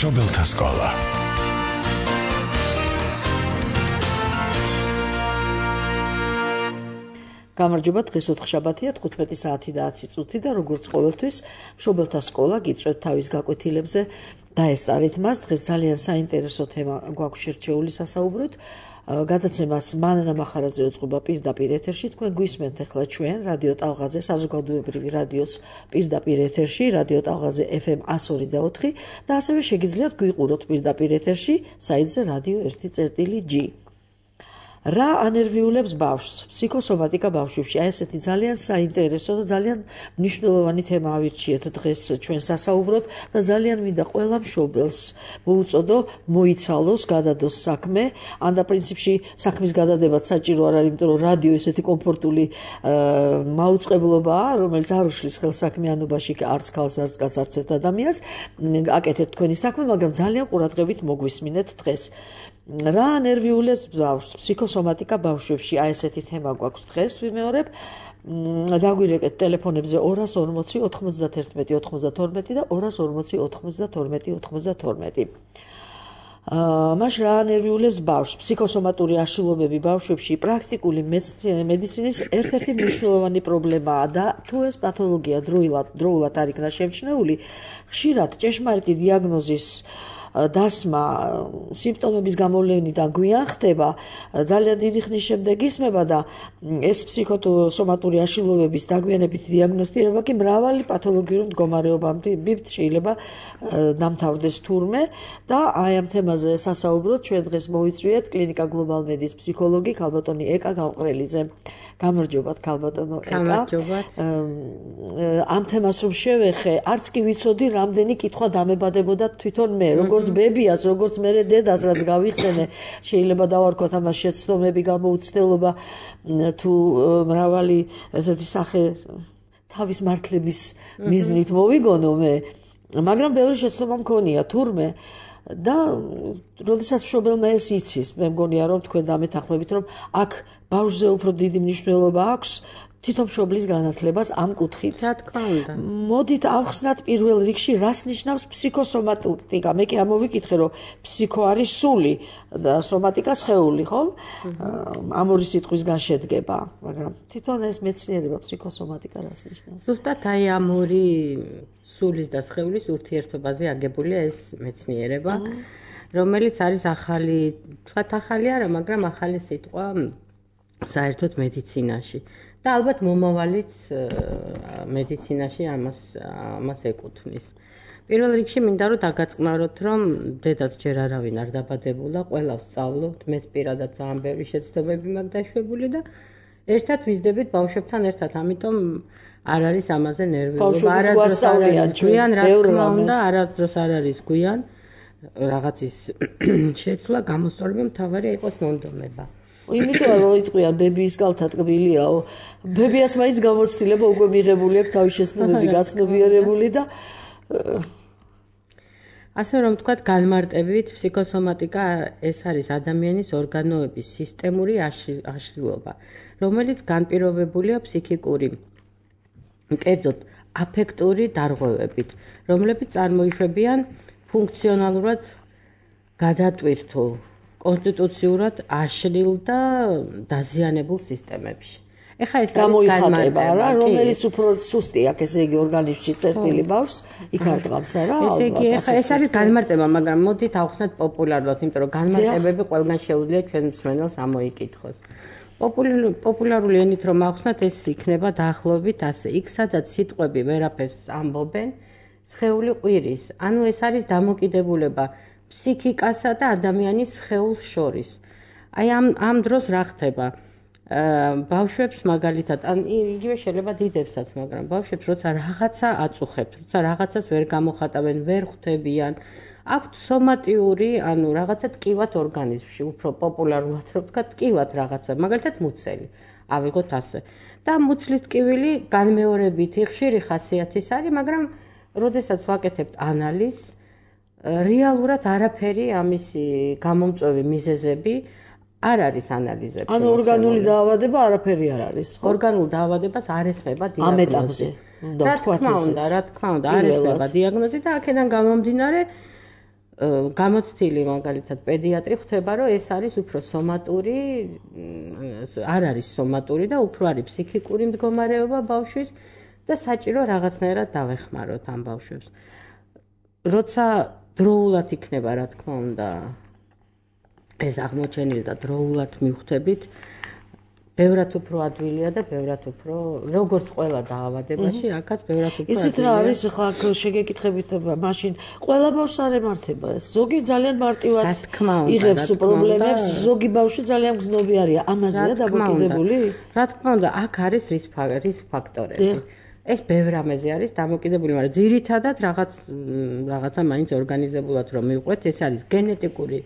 მშობელთა სკოლა. გამარჯობა, დღეს ოთხშაბათია, 15 საათი და 10 წუთი და როგორც ყოველთვის, მშობელთა სკოლა გიწვევთ თავის გაკვეთილებზე დაესწარით მას. დღეს ძალიან საინტერესო თემა გვაქვს შერჩეული სასაუბროთ. გადაცემას მანანა მახარაძე უწყობა პირდაპირ ეთერში. თქვენ გვისმენთ ახლა ჩვენ რადიო ტალღაზე, საზოგადოებრივი რადიოს პირდაპირ ეთერში, რადიო ტალღაზე FM 102 და 4 და ასევე შეგიძლიათ გვიყუროთ პირდაპირ ეთერში საიტზე radio 1.g. რა ანერვიულებს ბავშვს? ფსიქოსომატიკა ბავშვებში. აი ესეთი ძალიან საინტერესო და ძალიან მნიშვნელოვანი თემა ავირჩიეთ დღეს ჩვენ სასაუბროდ და ძალიან მინდა ყველა მშობელს მოუწოდო მოიცალოს, გადადოს საქმე. ან და პრინციპში საქმის გადადებაც საჭირო არ არის, იმიტომ რომ რადიო ესეთი კომფორტული მაუწყებლობაა, რომელიც არ უშლის ხელს საქმიანობაში არც ქალს, არც კაცს, არც ერთ ადამიანს. აკეთეთ თქვენი საქმე, მაგრამ ძალიან ყურადღებით მოგვისმინეთ დღეს. რა ანერვიულებს ბავშვს? ფსიქოსომატიკა ბავშვებში. აი ესეთი თემა გვაქვს დღეს, ვიმეორებ. დაგვირეკეთ ტელეფონებზე 240 91 92 და 240 92 92. მაშ რა ანერვიულებს ბავშვს? ფსიქოსომატური აშლილობები ბავშვებში პრაქტიკული მედიცინის ერთ-ერთი მნიშვნელოვანი პრობლემაა და თუ ეს პათოლოგია დროულად არ იქნა შემჩნეული, ხშირად ჭეშმარიტი დიაგნოზის დასმა სიმპტომების გამოვლენიდან გვიან ხდება, ძალიან დიდი ხნის შემდეგ ისმება და ეს ფსიქოსომატური აშლილობების დაგვიანებით დიაგნოსტირება კი მრავალი პათოლოგიური მდგომარეობამდე შეიძლება დამთავრდეს თურმე და აი ამ თემაზე სასაუბროთ ჩვენ დღეს მოვიწვიეთ კლინიკა გლობალ მედის ფსიქოლოგი ქალბატონი ეკა გამყრელიძე. გამარჯობათ ქალბატონო ეკა. გამარჯობათ. ამ თემას რომ შევეხე, არც კი ვიცოდი რამდენი კითხვა დამებადებოდა თვითონ მე, როგორც ბებიას, როგორც მე დედას, რაც გავიხსენე, შეიძლება დავარქვათ ამას შეცდომები, გამოუცდელობა თუ მრავალი ესეთი სახე თავის მართლების მიზნით მოვიგონო მე, მაგრამ ბევრი შეცდომა მქონია თურმე და როდესაც მშობელმა ეს იცის, მე მგონია რომ თქვენ დამეთანხმებით რომ აქ ბავშვზე უფრო დიდი მნიშვნელობა აქვს თვითონ მშობლის განათლებას ამ კუთხით. რა თქმა უნდა. მოდით ავხსნათ პირველ რიგში რას ნიშნავს ფსიქოსომატიკა. მე კი ამოვიკითხე რომ ფსიქო არის სული და სომატიკა სხეული, ხო? ამ ორი სიტყვისგან შედგება, მაგრამ თვითონ ეს მეცნიერება ფსიქოსომატიკა რას ნიშნავს? ზუსტად აი ამ ორი სულის და სხეულის ურთიერთობაზე აგებულია ეს მეცნიერება, რომელიც არის ახალი, თქვათ ახალი არა, მაგრამ ახალი სიტყვა საერთოდ მედიცინაში. და ალბათ მომავალიც მედიცინაში ამას ეკუთვნის. პირველ რიგში მინდა რომ დაგაწყნაროთ, რომ დედაც ჯერ არავინ არ დაბადებულა, ყველა ვსწავლობთ, მეც პირადად ძალიან ბევრი შეცდომები მაქვს დაშვებული და ერთად ვიზდებით ბავშვებთან ერთად, ამიტომ არ არის ამაზე ნერვიულობა, არასდროს არ არის გვიან, რა თქმა უნდა, არასდროს არ არის გვიან რაღაცის შეცვლა, გამოსწორება, მთავარია იყოს მონდომება. იმიტომ რომ იტყვიან ბებიის კალთა ტკბილიაო, ბებიას მაინც გამოცდილება უკვე მიღებული აქვს თავის შეცდომები გაცნობიერებული და ასე რომ ვთქვათ, განმარტებით ფსიქოსომატიკა ეს არის ადამიანის ორგანოების სისტემური აშლილობა, რომელიც განპირობებულია ფსიქიკური, კერძოდ აფექტური დარღვევებით, რომლებიც წარმოიშვებიან ფუნქციონალურად გადატვირთულ კონსტიტუციურად აშლილ და დაზიანებულ სისტემებში. ეხა ეს გამოიხატება რა, რომელიც უფრო სუსტი აქვს, ესე იგი ორგანიზმში წერტილი ბავშვს იქ არ დღამს არა? ესე იგი ეხა ეს არის განმარტება, მაგრამ მოდით ავხსნათ პოპულარულად, იმიტომ რომ განმარტებები ყველგან შეუძლია ჩვენ მსმენელს ამოიკითხოს. პოპულარული ენით რომ ავხსნათ, ეს იქნება დაახლოებით ასე. იქ სადაც სიტყვები ვერაფერს ამბობენ, სხეული ყვირის. ანუ ეს არის დამოკიდებულება ფსიქიკასა და ადამიანის სხეულს შორის. აი ამ დროს რა ხდება? ბავშვებს მაგალითად, ან იგივე შეიძლება დიდებსაც, მაგრამ ბავშვებს როცა რაღაცა აწუხებთ, როცა რაღაცას ვერ გამოხატავენ, ვერ ხვდებიან, აქვთ სომატიური, ანუ რაღაცა ტკივათ ორგანიზმში, უფრო პოპულარულად რო ვთქვა, ტკივათ რაღაცა, მაგალითად მუცელი. ავიღოთ ასე. და მუცლის ტკივილი განმეორებითი ხშირი ხასიათის არის, მაგრამ როდესაც ვაკეთებთ ანალიზს, რეალურად არაფერი ამისი გამომწვევი მიზეზები არ არის ანალიზებში. ანუ ორგანული დაავადება არაფერი არ არის, ხო? ორგანულ დაავადებას არ ესმება დიაგნოზი. ამ ეტაპზე. რა თქმა უნდა, არ ესმება დიაგნოზი და აქედან გამომდინარე გამოცდილი მაგალითად პედიატრი ხვდება, რომ ეს არის უფრო სომატური, არ არის სომატური და უფრო არის ფსიქიკური მდგომარეობა ბავშვის და საჭირო რაღაცნაირად დავეხმაროთ ამ ბავშვებს. როცა დროულად იქნება, რა თქმა უნდა, ეს აღმოჩენილი და დროულად მივხვდებით, ბევრად უფრო ადვილია და ბევრად უფრო, როგორც ყველა დაავადებაში, აქაც ბევრად უფრო იცით რა არის ახლა შეგეკითხებით მაშინ ყველა ბავშვს არ ემართება ეს. ზოგი ძალიან მარტივად იღებს პრობლემებს, ზოგი ბავშვი ძალიან გზნობი არის. ამაზეა დამოკიდებული? რა თქმა უნდა, აქ არის რისკ ფაქტორები. ეს ბევრ რამეზე არის დამოკიდებული, მაგრამ ძირითადად რაღაცა მაინც ორგანიზებულად რომ მივყვეთ, ეს არის გენეტიკური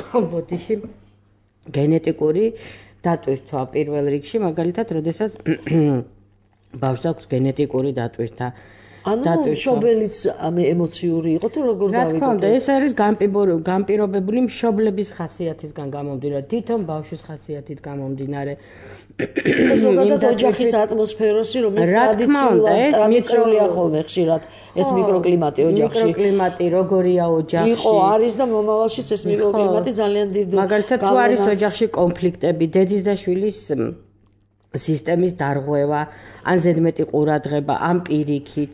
ბოდიში გენეტიკური დატვირთვა პირველ რიგში, მაგალითად, როდესაც ბავშვს აქვს გენეტიკური დატვირთვა. ანუ მშობელიც ემოციური იყო თუ როგორ გავიგოთ? რა თქმა უნდა, ეს არის განპირობებული მშობლების ხასიათისგან გამომდინარე, თვითონ ბავშვის ხასიათით გამომდინარე. ზოგადად ოჯახის ატმოსფეროსი, რომელიც ტრადიციულია ხოლმე ხშირად ეს მიკროკლიმატი ოჯახში. მიკროკლიმატი როგორია ოჯახში? იყო, არის და მომავალშიც ეს მიკროკლიმატი ძალიან დიდ მაგალითად თუ არის ოჯახში კონფლიქტები, დედის და შვილის სისტემის დარღვევა, ან ზედმეტი ყურადღება, ან პირიქით,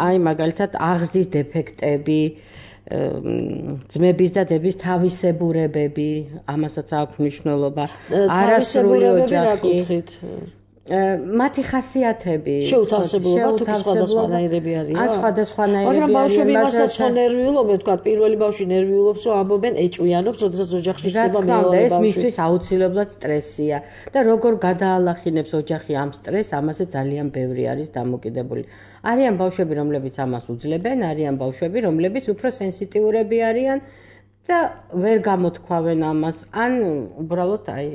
აი მაგალითად აღზრდის დეფექტები, ძმების და დების თავისებურებები, ამასაც აქვს მნიშვნელობა. არასრული ოჯახი. მათი ხასიათები შეუთავსებულობა თუ სხვადასხვანაირები არიან? ან სხვადასხვანაირები არიან, მაგრამ ბავშვები მასაც ნერვიულობენ, თქვა პირველი ბავშვი ნერვიულობს, რომ ამბობენ ეჭვიანობს, როდესაც ოჯახში ხდება მეორე ბავშვი. ეს მისთვის აუცილებლად სტრესია და როგორ გადაალახინებს ოჯახი ამ სტრესს, ამაზე ძალიან ბევრი არის დამოკიდებული. არიან ბავშვები, რომლებიც ამას უძლებენ, არიან ბავშვები, რომლებიც უფრო სენსიტიურები არიან და ვერ გამოთქვავენ ამას, ან უბრალოდ აი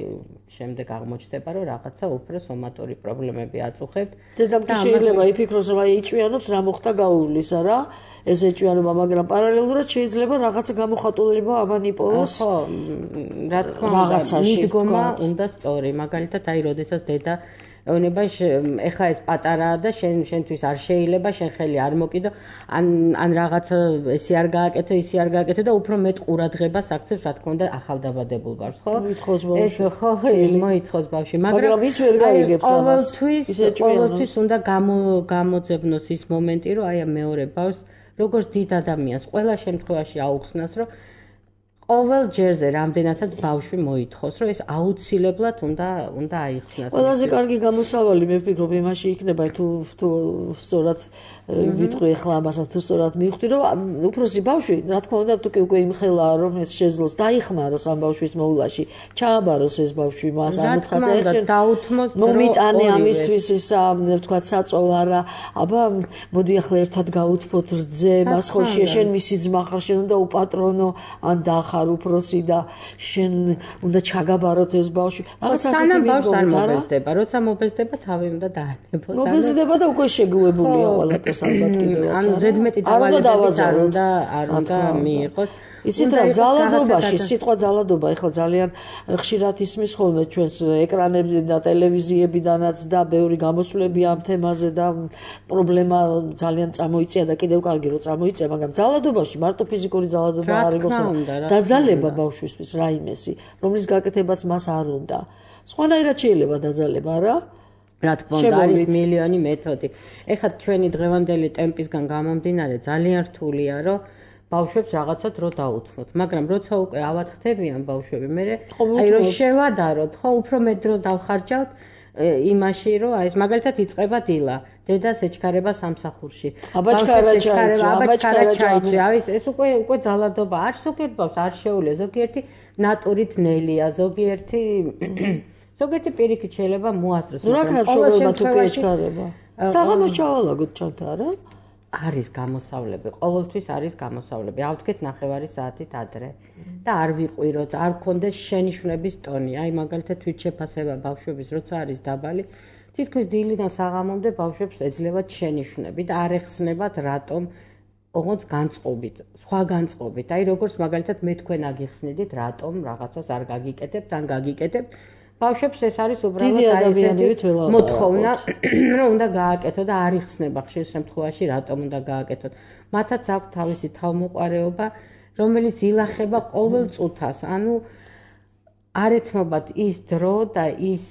შემდეგ აღმოჩნდება, რომ რაღაცა უფრო სომატური პრობლემები აწუხებთ. დედამთი შეიძლება იფიქროს, რომ აი ეჭვიანობს, რა მოხდა გაუვლისა რა, ეს ეჭვიანობა, მაგრამ პარალელურად შეიძლება რაღაცა გამოხატულება ამან იპოვოს. ხო, რა თქმა უნდა, მიდგომა უნდა სწორი. მაგალითად, აი, როდესაც დედა ეუბნება, ეხა ეს პატარაა და შენთვის არ შეიძლება, შენ ხელი არ მოკიდო, ან რაღაცა ესი არ გააკეთო, ისი არ გააკეთო და უფრო მეტ ყურადღებას აქცევს, რა თქმა უნდა, ახალდაბადებულ ბავშვს, ხო? მოითხოვს ბავშვი. ხო, მოითხოვს ბავშვი, მაგრამ ის ვერ გაიგებს ამას. ყოველთვის უნდა გამოძებნოს ის მომენტი, რომ აი მეორე ბავშვს, როგორც დიდ ადამიანს, ყველა შემთხვევაში აუხსნას, რომ ყოველ ჯერზე რამდენადაც ბავშვი მოითხოვს, რომ ეს აუცილებლად უნდა აიხსნას. ყველაზე კარგი გამოსავალი მე ვფიქრობ იმაში იქნება, თუ სწორად ვიტყვი ახლა ამასაც, თუ სწორად მივხვდი, რომ უფროსი ბავშვი, რა თქმა უნდა, თუ კი უკვე იმხელაა, რომ ეს შეძლოს დაიხმაროს ამ ბავშვის მოვლაში, ჩააბაროს ეს ბავშვი მას, ანუ თხას დაუთმოს დრო. მომიტანე ამისთვის ისა, ვთქვათ, საწოვარა, აბა მოდი ახლა ერთად გავუთფოთ რძე, მას ხო შენ მისი ძმა ხარ, შენ უნდა უპატრონო, ან დახარ უფროსი და შენ უნდა ჩაგაბაროთ ეს ბავშვი. რაღაც ასეთი მიდგომა არ მობეზდება, როცა მობეზდება, თავი უნდა დაანებოს. მობეზდება და უკვე შეგუებულია ყველაფერს ალბათ კიდევაც. ანუ ზედმეტი დავალებებით არ უნდა მიიღოს. იცით რა, ძალადობაში, სიტყვა ძალადობა ეხლა ძალიან ხშირად ისმის ხოლმე ჩვენს ეკრანებზე და ტელევიზიებიდანაც და ბევრი გამოსვლები ამ თემაზე და პრობლემა ძალიან წამოიწია და კიდევ კარგი რომ წამოიწია, მაგრამ ძალადობაში მარტო ფიზიკური ძალადობა არ იყოს. დაძალება ბავშვისთვის რაიმესი, რომლის გაკეთებაც მას არ უნდა. სხვანაირად შეიძლება დაძალება, რა? რა თქმა უნდა, არის მილიონი მეთოდი. ეხლა ჩვენი დღევანდელი ტემპისგან გამომდინარე ძალიან რთულია, რომ ბავშვებს რაღაცა დრო დაუთმოთ, მაგრამ როცა უკვე ავათხდებიან ბავშვები, მე აი რომ შევადაროთ, ხო, უფრო მეტ დრო დავხარჯავთ იმაში, რომ აი ეს მაგალითად იწყება დილა. დედას ეჩქარება სამსახურში. აბაჩქარა ჩაიწვია. ეს უკვე ძალადობა არ ზოგიერთ ბავშვს არ შეუძლია, ზოგიერთი ნატურით ნელია, ზოგიერთი პირიქით შეიძლება მოასწროს. რა ქარშობელმა თუ ეჩქარება? საღამოს ჩავალაგოთ ჩანთა რა? არის გამოსავლები, ყოველთვის არის გამოსავლები. ავდგეთ 9 საათით ადრე და არ ვიყვიროთ, არ გქონდეს შენიშვნების ტონი. აი მაგალითად თვით შეფასება ბავშვების როცა არის დაბალი, თითქმის დილიდან საღამომდე ბავშვებს ეძლევათ შენიშვნები და არ ეხსნებათ რატომ ოღონდ განწყობით, სხვა განწყობით. აი როგორც მაგალითად მე თქვენ აგიხსნიდით, რატომ რაღაცას არ გაგიკეთებთ, ან გაგიკეთებთ. ბავშვებს ეს არის უბრალოდ აი ესეთი მოთხოვნა, რომ უნდა გააკეთო და არ იხსნება ხშირ შემთხვევაში რატომ უნდა გააკეთოთ. მათაც აქვს თავისი თავმოყარეობა, რომელიც ილახება ყოველ წუთას. ანუ არ ეთმობათ ის დრო და ის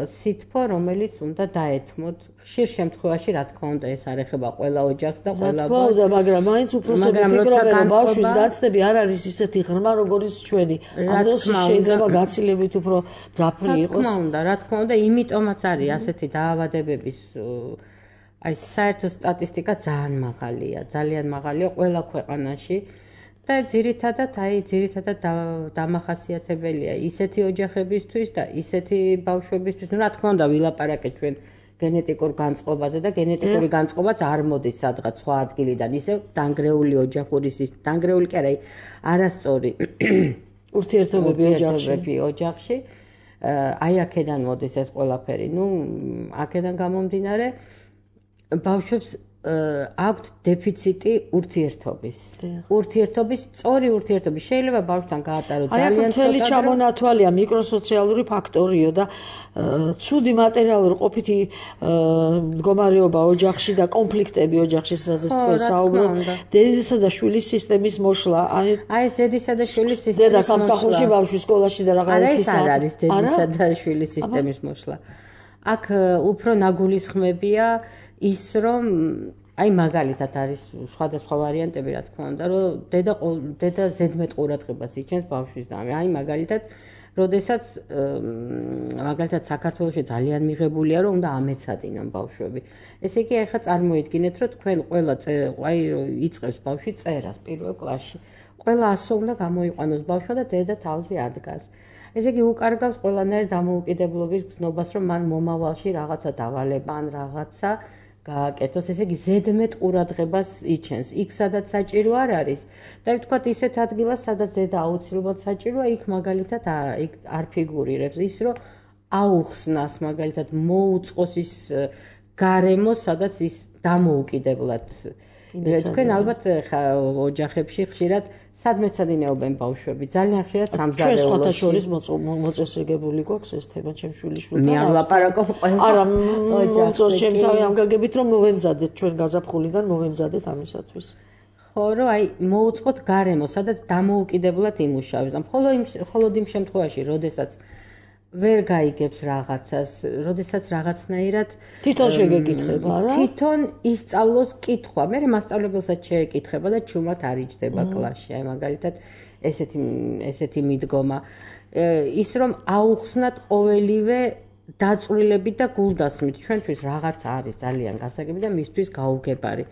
სითბო, რომელიც უნდა დაეთმოთ. ხშირ შემთხვევაში, რა თქმა უნდა, ეს არ ეხება ყველა ოჯახს და ყველა რა თქმა უნდა, მაგრამ მაინც უფროსები ფიქრობენ, რომ ბავშვის გაცნები არ არის ისეთი ღრმა, როგორც ჩვენი. ამ დროს შეიძლება გაცილებით უფრო ძაფრი იყოს. რა თქმა უნდა, რა თქმა უნდა, იმიტომაც არის ასეთი დაავადებების აი საერთო სტატისტიკა ძალიან მაღალია ყველა ქვეყანაში. და ძირითადად დამახასიათებელია ისეთი ოჯახებისთვის და ისეთი ბავშვებისთვის, რა თქმა უნდა, ვილაპარაკეთ ჩვენ გენეტიკურ განწყობაზე და გენეტიკური განწყობაც არ მოდის სადღაც სხვა ადგილიდან, ისევ დანგრეული დანგრეული კი არა, არასწორი ურთიერთობები ოჯახში. აი აქედან მოდის ეს ყველაფერი. აქედან გამომდინარე ბავშვებს აქვთ დეფიციტი ურთიერთობის. სწორი ურთიერთობის. შეიძლება ბავშვთან გაატაროთ ძალიან ცოტა. მთელი ჩამონათვალია მიკროსოციალური ფაქტორიო და ცუდი მატერიალური ყოფითი მდგომარეობა ოჯახში და კონფლიქტები ოჯახში, რასაც თქვენ საუბრობთ, დედისა და შვილის სისტემის მოშლა. აი ეს დედისა და შვილის სისტემის დედა სამსახურში, ბავშვი სკოლაში და რაღაც ერთი საათი. არის დედისა და შვილის სისტემის მოშლა. აქ უფრო ნაგულისხმებია ის რომ აი მაგალითად არის სხვადასხვა ვარიანტები რა თქმა უნდა რომ დედა ზედმეტ ყურადღებას იჩენს ბავშვის და აი მაგალითად როდესაც საქართველოში ძალიან მიღებულია რომ უნდა ამეცადინონ ბავშვები. ესე იგი ახლა წარმოიდგინეთ რომ თქვენ ყველა აი იწყებს ბავშვი წერას პირველ კლასში. ყველა ასო უნდა გამოიყვანოს ბავშვმა და დედა თავზე ადგას. ესე იგი უკარგავს ყველანაირ დამოუკიდებლობის გზნობას რომ მან მომავალში რაღაცა დავალება ან რაღაცა გააკეთოს, ესე იგი ზედმეტ ყურადღებას იჩენს. იქ სადაც საჭირო არ არის და ვთქვათ ისეთ ადგილას, სადაც დედა აუცილებლად საჭიროა, იქ მაგალითად არ ფიგურირებს ის, რომ აუხსნას მაგალითად მოუწყოს ის გარემო, სადაც ის დამოუკიდებლად. თქვენ ალბათ ოჯახებში ხშირად სადმეცადინეობენ ბავშვები, ძალიან ხშირად სამზარეულოში. ჩვენ სხვათა შორის მოწესრიგებული გვაქვს ეს თემა ჩემ შვილიშვილთან. მე არ ვლაპარაკობ ყველა. არა, მოწოს შემთავი ამ გაგებით რომ მოვემზადეთ ჩვენ გაზაფხულიდან მოვემზადეთ ამისათვის. ხო, რომ აი მოუწყოთ გარემო, სადაც დამოუკიდებლად იმუშავებს. მხოლოდ იმ შემთხვევაში, როდესაც ვერ გაიგებს რაღაცას, როდესაც რაღაცნაირად თვითონ შეგეკითხება, რა? თვითონ ისწავლოს კითხვა. მე მასწავლებელსაც შეეკითხება და ჩუმად არ იჯდება კლასში. აი მაგალითად ესეთი მიდგომა. ის რომ აუხსნათ ყოველივე დაწვრილებით და გულდასმით. ჩვენთვის რაღაც არის ძალიან გასაგები და მისთვის გაუგებარი.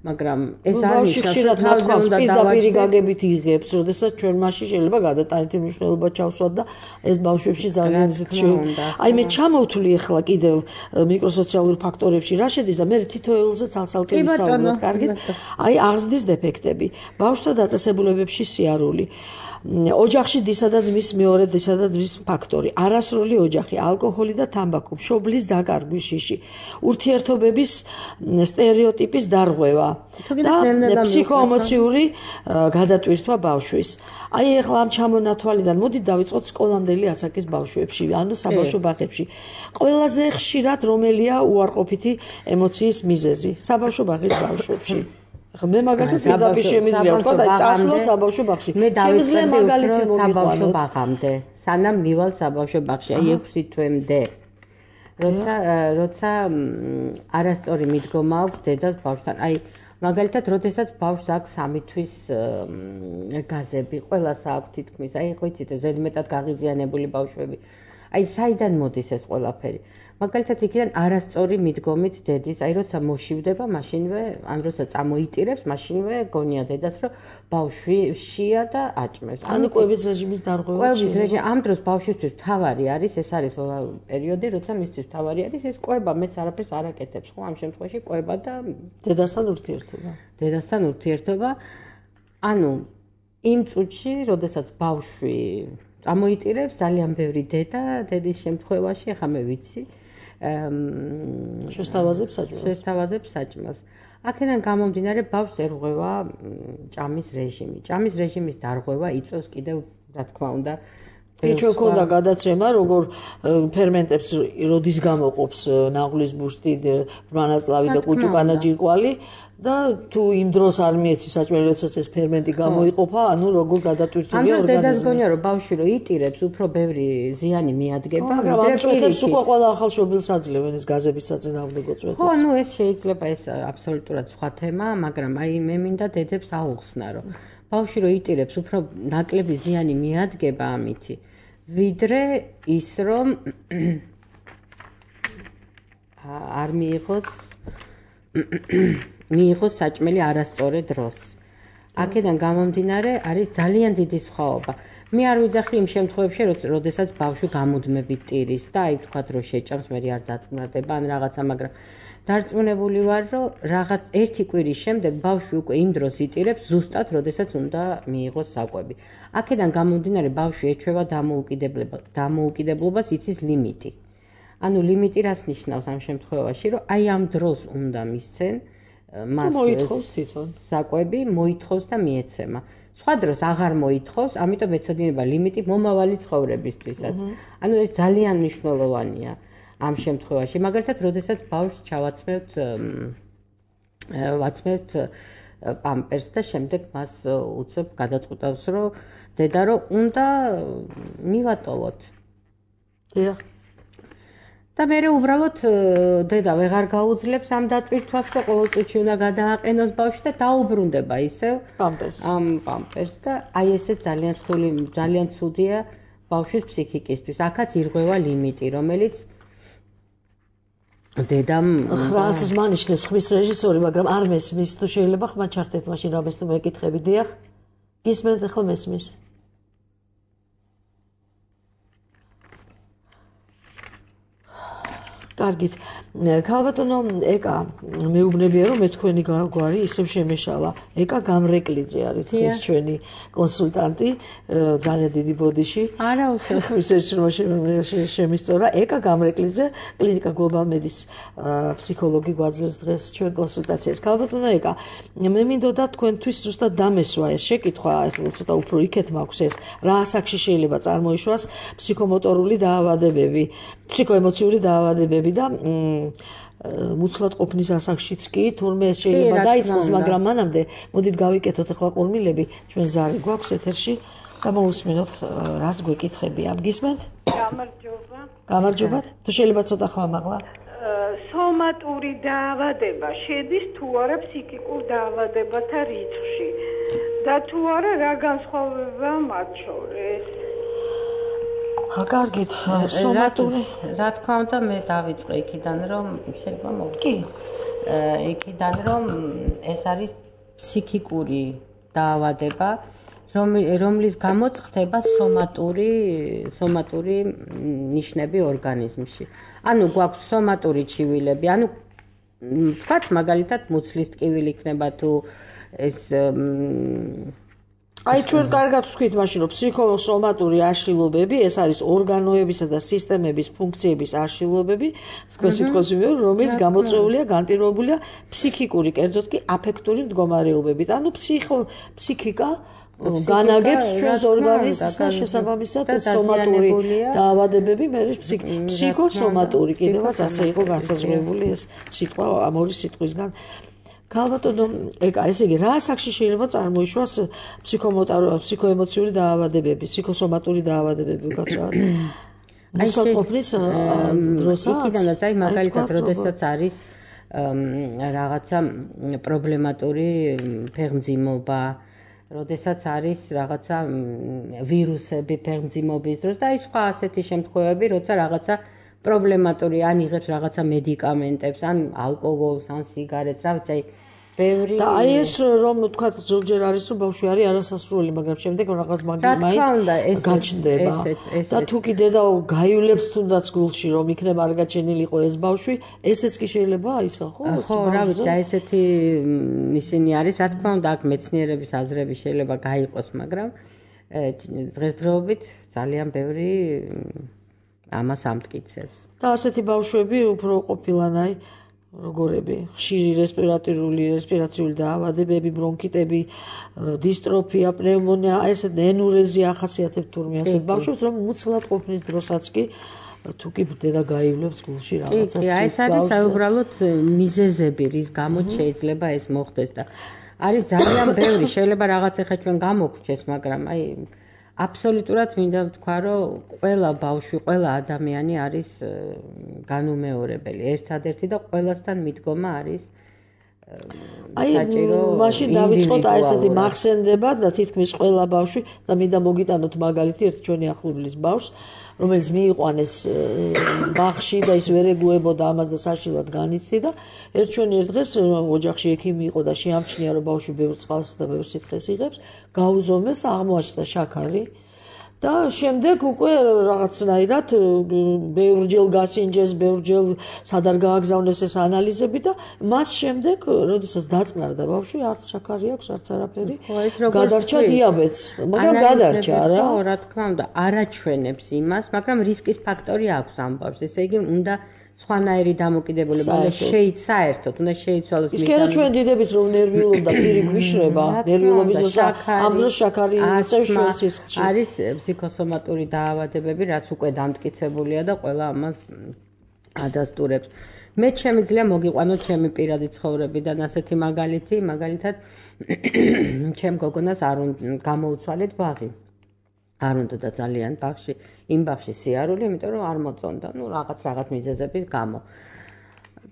მაგრამ ეს არის ხშირად ნათქვამს პირდაპირ გაგებით იღებს, როდესაც ჩვენ მასში შეიძლება გადატანითი მნიშვნელობა ჩავსვათ და ეს ბავშვებში ძალიან ისეთი აი მე ჩამოვთვლი ახლა კიდევ მიკროსოციალურ ფაქტორებში რა შედის და მე თითოეულზე ცალ-ცალკე ვისაუბროთ, კარგით? აი აღზრდის დეფექტები, ბავშვთა დაწესებულებებში სიარული. ოჯახში დისა და ძმის მეორე დისა და ძმის ფაქტორი, არასრული ოჯახი, ალკოჰოლი და თამბაქო, მშობლის დაკარგვის შიში, ურთიერთობების სტერეოტიპის დარღვევა და ფსიქოემოციური გადატვირთვა ბავშვის. აი ახლა ამ ჩამონათვალიდან მოდით დავიწყოთ სკოლამდელი ასაკის ბავშვებში, ანუ საბავშვო ბაღებში. ყველაზე ხშირად რომელია უარყოფითი ემოციის მიზეზი საბავშვო ბაღის ბავშვებში? მე მაგალითად პირდაპირ შემიძლია ვთქვა, აი წასვლა საბავშვო ბაღში. მე დავიწყე მაგალითად საბავშვო ბაღამდე, სანამ მივალ საბავშვო ბაღში, აი 6 თვემდე. როცა არასწორი მიდგომა აქვს დედას ბავშვთან. აი მაგალითად, როდესაც ბავშვს აქვს 3 თვის გაზები, ყველას აქვს თითქმის, აი ხო იცით, ზედმეტად გაღიზიანებული ბავშვები. აი საიდან მოდის ეს ყველაფერი? მაგალითად იქიდან არასწორი მიდგომით დედის, აი როცა მოშივდება, მაშინვე, ან როცა წამოიტირებს, მაშინვე გონია დედას, რომ ბავშვი შია და აჭმევს. ანუ კვების რეჟიმის დარღვევა. კვების რეჟიმი, ამ დროს ბავშვისთვის თავარი არის, ეს არის პერიოდი, როცა მისთვის თავარი არის, ეს კვება, მეც არაფერს არ აკეთებს, ხო, ამ შემთხვევაში კვება და დედასთან ურთიერთობა. დედასთან ურთიერთობა. ანუ იმ წუთში, როდესაც ბავშვი წამოიტირებს, ძალიან ბევრი დედის შემთხვევაში, ახლა მე ვიცი, შესთავაზებს საჭმელს. აქედან გამომდინარე ბავშვს ერღვევა ჭამის რეჟიმი. ჭამის რეჟიმის დარღვევა იწვევს კიდევ, რა თქმა უნდა, ჩვენ ქონდა გადაცემა, როგორ ფერმენტებს როდის გამოყოფს ნაღლის ბუშტი, ბრმანაწლავი და კუჭუკანა ჯირკვალი და თუ იმ დროს არ მიეცი საჭმელი, როდესაც ეს ფერმენტი გამოიყოფა, ანუ როგორ გადატვირთულია ორგანიზმი. ამ დროს გონია რომ ბავშვი რო იტირებს, უფრო ბევრი ზიანი მიადგება, ვიდრე პირიქით. უკვე ყველა ახალ შობილს აძლევენ ეს გაზების საწინააღმდეგო წვეთებს. ხო, ანუ ეს შეიძლება ეს აბსოლუტურად სხვა თემაა, მაგრამ აი მე მინდა დედებს აუხსნა, რომ ბავშვი რო იტირებს, უფრო ნაკლები ზიანი მიადგება ამითი, ვიდრე ის რომ არ მიიღოს საჭმელი არასწორ დროს. აქედან გამომდინარე არის ძალიან დიდი სხვაობა. მე არ ვიძახი იმ შემთხვევებში, როდესაც ბავშვი გამუდმებით ტირის და აი თქვათ რომ შეჭამს, მე არ დაწნარდება ან რაღაცა, მაგრამ დარწმუნებული ვარ, რომ რაღაც ერთი კვირის შემდეგ ბავშვი უკვე იმ დროს იტირებს, ზუსტად როდესაც უნდა მიიღოს საკვები. აქედან გამომდინარე ბავშვი ეჩვევა დამოუკიდებლობას, იცის ლიმიტი. ანუ ლიმიტი რას ნიშნავს ამ შემთხვევაში, რომ აი ამ დროს უნდა მისცენ მას მოითხოვს თვითონ საკვები, მოითხოვს და მიეცემა. სხვა დროს აღარ მოითხოვს, ამიტომ ეცოდინება ლიმიტი მომავალი ცხოვრებისთვისაც. ანუ ეს ძალიან მნიშვნელოვანია ამ შემთხვევაში. მაგალითად, როდესაც ბავშვს ვაცმევთ პამპერს და შემდეგ მას უცებ გადაწყვეტავს, რომ დედა რომ უნდა მივატოვოთ. დიახ. და მე უბრალოდ დედა ვეღარ გაუძლებს ამ დატვირთვას, რომ ყოველ წუთში უნდა გადააყენოს ბავშვი და დაუბრუნდება ისევ ამ პამპერს და აი ესე ძალიან ცუდია ბავშვის ფსიქიკისთვის. აქაც ირღვევა ლიმიტი, რომელიც დედამ ხრას მანიშნებს ხმის რეჟისორი, მაგრამ არ მესმის. თუ შეიძლება ხმა ჩართეთ მაშინ რამეს თუ მეკითხები. დიახ. გისმენთ ახლა მესმის. კარგით. ქალბატონო ეკა, მეუბნებია რომ მე თქვენი გვარი ისევ შემეშალა. ეკა გამრეკლიძე არის ეს ჩვენი კონსულტანტი, ძალიან დიდი ბოდიში. არა უშავს. ისე შემისწორა. ეკა გამრეკლიძე, კლინიკა გლობალ მედის ფსიქოლოგი გვაძლევს დღეს ჩვენ კონსულტაციას. ქალბატონო ეკა, მე მინდოდა თქვენთვის ზუსტად დამესვა ეს შეკითხვა, ახლა ცოტა უფრო იქეთ მაქვს ეს, რა ასაკში შეიძლება წარმოიშვას ფსიქომოტორული დაავადებები, ფსიქოემოციური დაავადებები და მუცლად ყოფნის ასაკშიც კი თურმე შეიძლება დაიწყოს, მაგრამ მანამდე მოდით გავიკეთოთ ახლა ყურმილები, ჩვენ ზარი გვაქვს ეთერში და მოусმინოთ რას გვეკითხები. ამ გისმენთ? გამარჯობა. გამარჯობათ. თუ შეიძლება ცოტა ხმამაღლა. სომატური დაავადება შედის თუ არა ფსიქიკურ დაავადებათა რიცხვში და თუ არა რა განსხვავებაა მათ შორის? კარგით, სომატური რა თქმა უნდა მე დავიწყე იქიდან რომ შეიძლება მოგ კი იქიდან რომ ეს არის ფსიქიკური დაავადება რომლის გამოც ხდება სომატური ნიშნები ორგანიზმში. ანუ გვაქვს სომატური ჩივილები, ანუ ვთქვათ მაგალითად მუცლის ტკივილი იქნება თუ ეს აი ჩვენ კარგად ვთქვით მაშინ რომ ფსიქოსომატური აშლილობები ეს არის ორგანოებისა და სისტემების ფუნქციების აშლილობები, თქვენ სიტყვას ვიმეორ, რომელიც გამოწვეულია, განპირობებულია ფსიქიკური, კერძოდ კი აფექტური მდგომარეობებით. ანუ ფსიქიკა განაგებს ჩვენს ორგანიზმს და შესაბამისად სომატური დაავადებები მე ფსიქოსომატური კიდევაც ასე იყო განსაზღვრებული ეს სიტყვა ამ ორი სიტყვისგან. ქალბატონო ეკა, ესე იგი, რა ასაკში შეიძლება წარმოიშვას ფსიქოემოციური დაავადებები, ფსიქოსომატური დაავადებები, უკაცრავად? მუსაყოფნის დროსაც? იქიდანაც, აი, მაგალითად, როდესაც არის რაღაცა პრობლემატური ფეხმძიმობა, როდესაც არის რაღაცა ვირუსები ფეხმძიმობის დროს და აი სხვა ასეთი შემთხვევები, როცა რაღაცა პრობლემატური ან იღებს რაღაცა მედიკამენტებს, ან ალკოჰოლს, ან სიგარეტს, რა ვიცი, ბევრი და აი ეს რომ თქვა ზოგჯერ არის რომ ბავშვი არის არასასრული, მაგრამ შემდეგ რაღაც მაინც გაჩნდება. და თუ კი დედა გაივლებს თუნდაც გულში რომ იქნება არ გაჩენილიყო ეს ბავშვი, ესეც კი შეიძლება აისახო? ხო, რა ვიცი, ესეთი ისინი არის, რა თქმა უნდა, აქ მეცნიერების აზრები შეიძლება გაიყოს, მაგრამ დღესდღეობით ძალიან ბევრი ამას ამტკიცებს. და ასეთი ბავშვები უფრო ყოფილანაი როგორები, ხშირი რესპირაციული დაავადებები, ბრონქიტები, დისტროფია, პნევმონია, ესეთ ენურეზია ახასიათებთ თურმე ასეთ ბავშვებს, რომ მუცლად ყოფნის დროსაც კი თუ კი დედა გაივლებს გულში რაღაცას. კი, ეს არის უბრალოდ მიზეზები, რის გამოც შეიძლება ეს მოხდეს და არის ძალიან ბევრი, შეიძლება რაღაც ახლა ჩვენ გამოგვრჩეს, მაგრამ აი აბსოლუტურად მინდა ვთქვა, რომ ყველა ბავშვი, ყველა ადამიანი არის განუმეორებელი, ერთადერთი და ყველასთან მიდგომა არის საჭირო. მაშინ დავიწყოთ აი ესეთი მახსენდება და თითქმის ყველა ბავშვი და მინდა მოგიტანოთ მაგალითი ერთ ჩვენი ახლობლის ბავშვს, რომელიც მიიყვანეს ბაღში და ის ვერ ეგუებოდა ამას და საშინლად განიცდიდა. ერთ დღეს ოჯახში ექიმი იყო და შეამჩნია, რომ ბავშვი ბევრ წყალს და ბევრ სითხეს იღებს, გაუზომეს, აღმოაჩნდა შაქარი. და შემდეგ უკვე რაღაცნაირად ბევრჯერ გასინჯეს, ბევრჯერ სადარ გააგზავნეს ეს ანალიზები და მას შემდეგ, როდესაც დაწყნარდა ბავშვი, არც შაქარი აქვს, არც არაფერი. გადარჩა დიაბეტს, მაგრამ გადარჩა რა. ხო, რა თქმა უნდა, არაჩვენებს იმას, მაგრამ რისკის ფაქტორი აქვს ამ ბავშვს. ესე იგი, უნდა სხვანაირი დამოკიდებულება, უნდა საერთოდ, უნდა შეიცვალოს. ის კი არა ჩვენ დიდების რომ ნერვიულობდა პირი გვიშრება, ნერვიულობის დროს ამ დროს შაქარი იწევს ჩვენ სისხლში. არის ფსიქოსომატური დაავადებები, რაც უკვე დამტკიცებულია და ყველა ამას ადასტურებს. მე შემიძლია მოგიყვანოთ ჩემი პირადი ცხოვრებიდან ასეთი მაგალითი, მაგალითად ჩემ გოგონას არ გამოუცვალეთ ბაღი. არ უნდა და ძალიან ბაღში, იმ ბაღში სიარული, იმიტომ რომ არ მოწონდა, რაღაც მიზეზების გამო.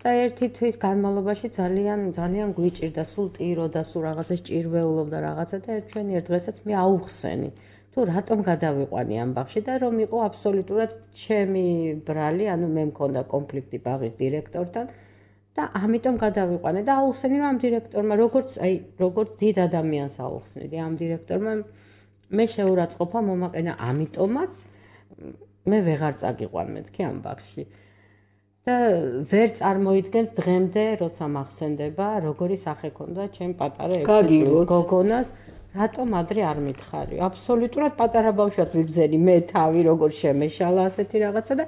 და ერთი თვის განმავლობაში ძალიან გვიჭირდა, სულ ტიროდა, სულ რაღაცას ჭირვეულობდა რაღაცა და ერთ დღესაც მე აუხსენი. თუ რატომ გადავიყვანი ამ ბაღში და რომ იყო აბსოლუტურად ჩემი ბრალი, ანუ მე მქონდა კონფლიქტი ბაღის დირექტორთან და ამიტომ გადავიყვანე და აუხსენი რომ ამ დირექტორმა, როგორც დიდ ადამიანს აუხსნიდი ამ დირექტორმა მე შეურაცხყოფა მომაყენა, ამიტომაც მე ვეღარ წაგიყვან მეთქი ამ ბაღში. და ვერ წარმოიდგენთ დღემდე, როცა მახსენდება, როგორი სახე ქონდა ჩემ პატარა 6 წლის გოგონას, რატომ ადრე არ მითხარი. აბსოლუტურად პატარა ბავშვად ვიგზენი მე თავი, როგორ შემეშალა ასეთი რაღაცა და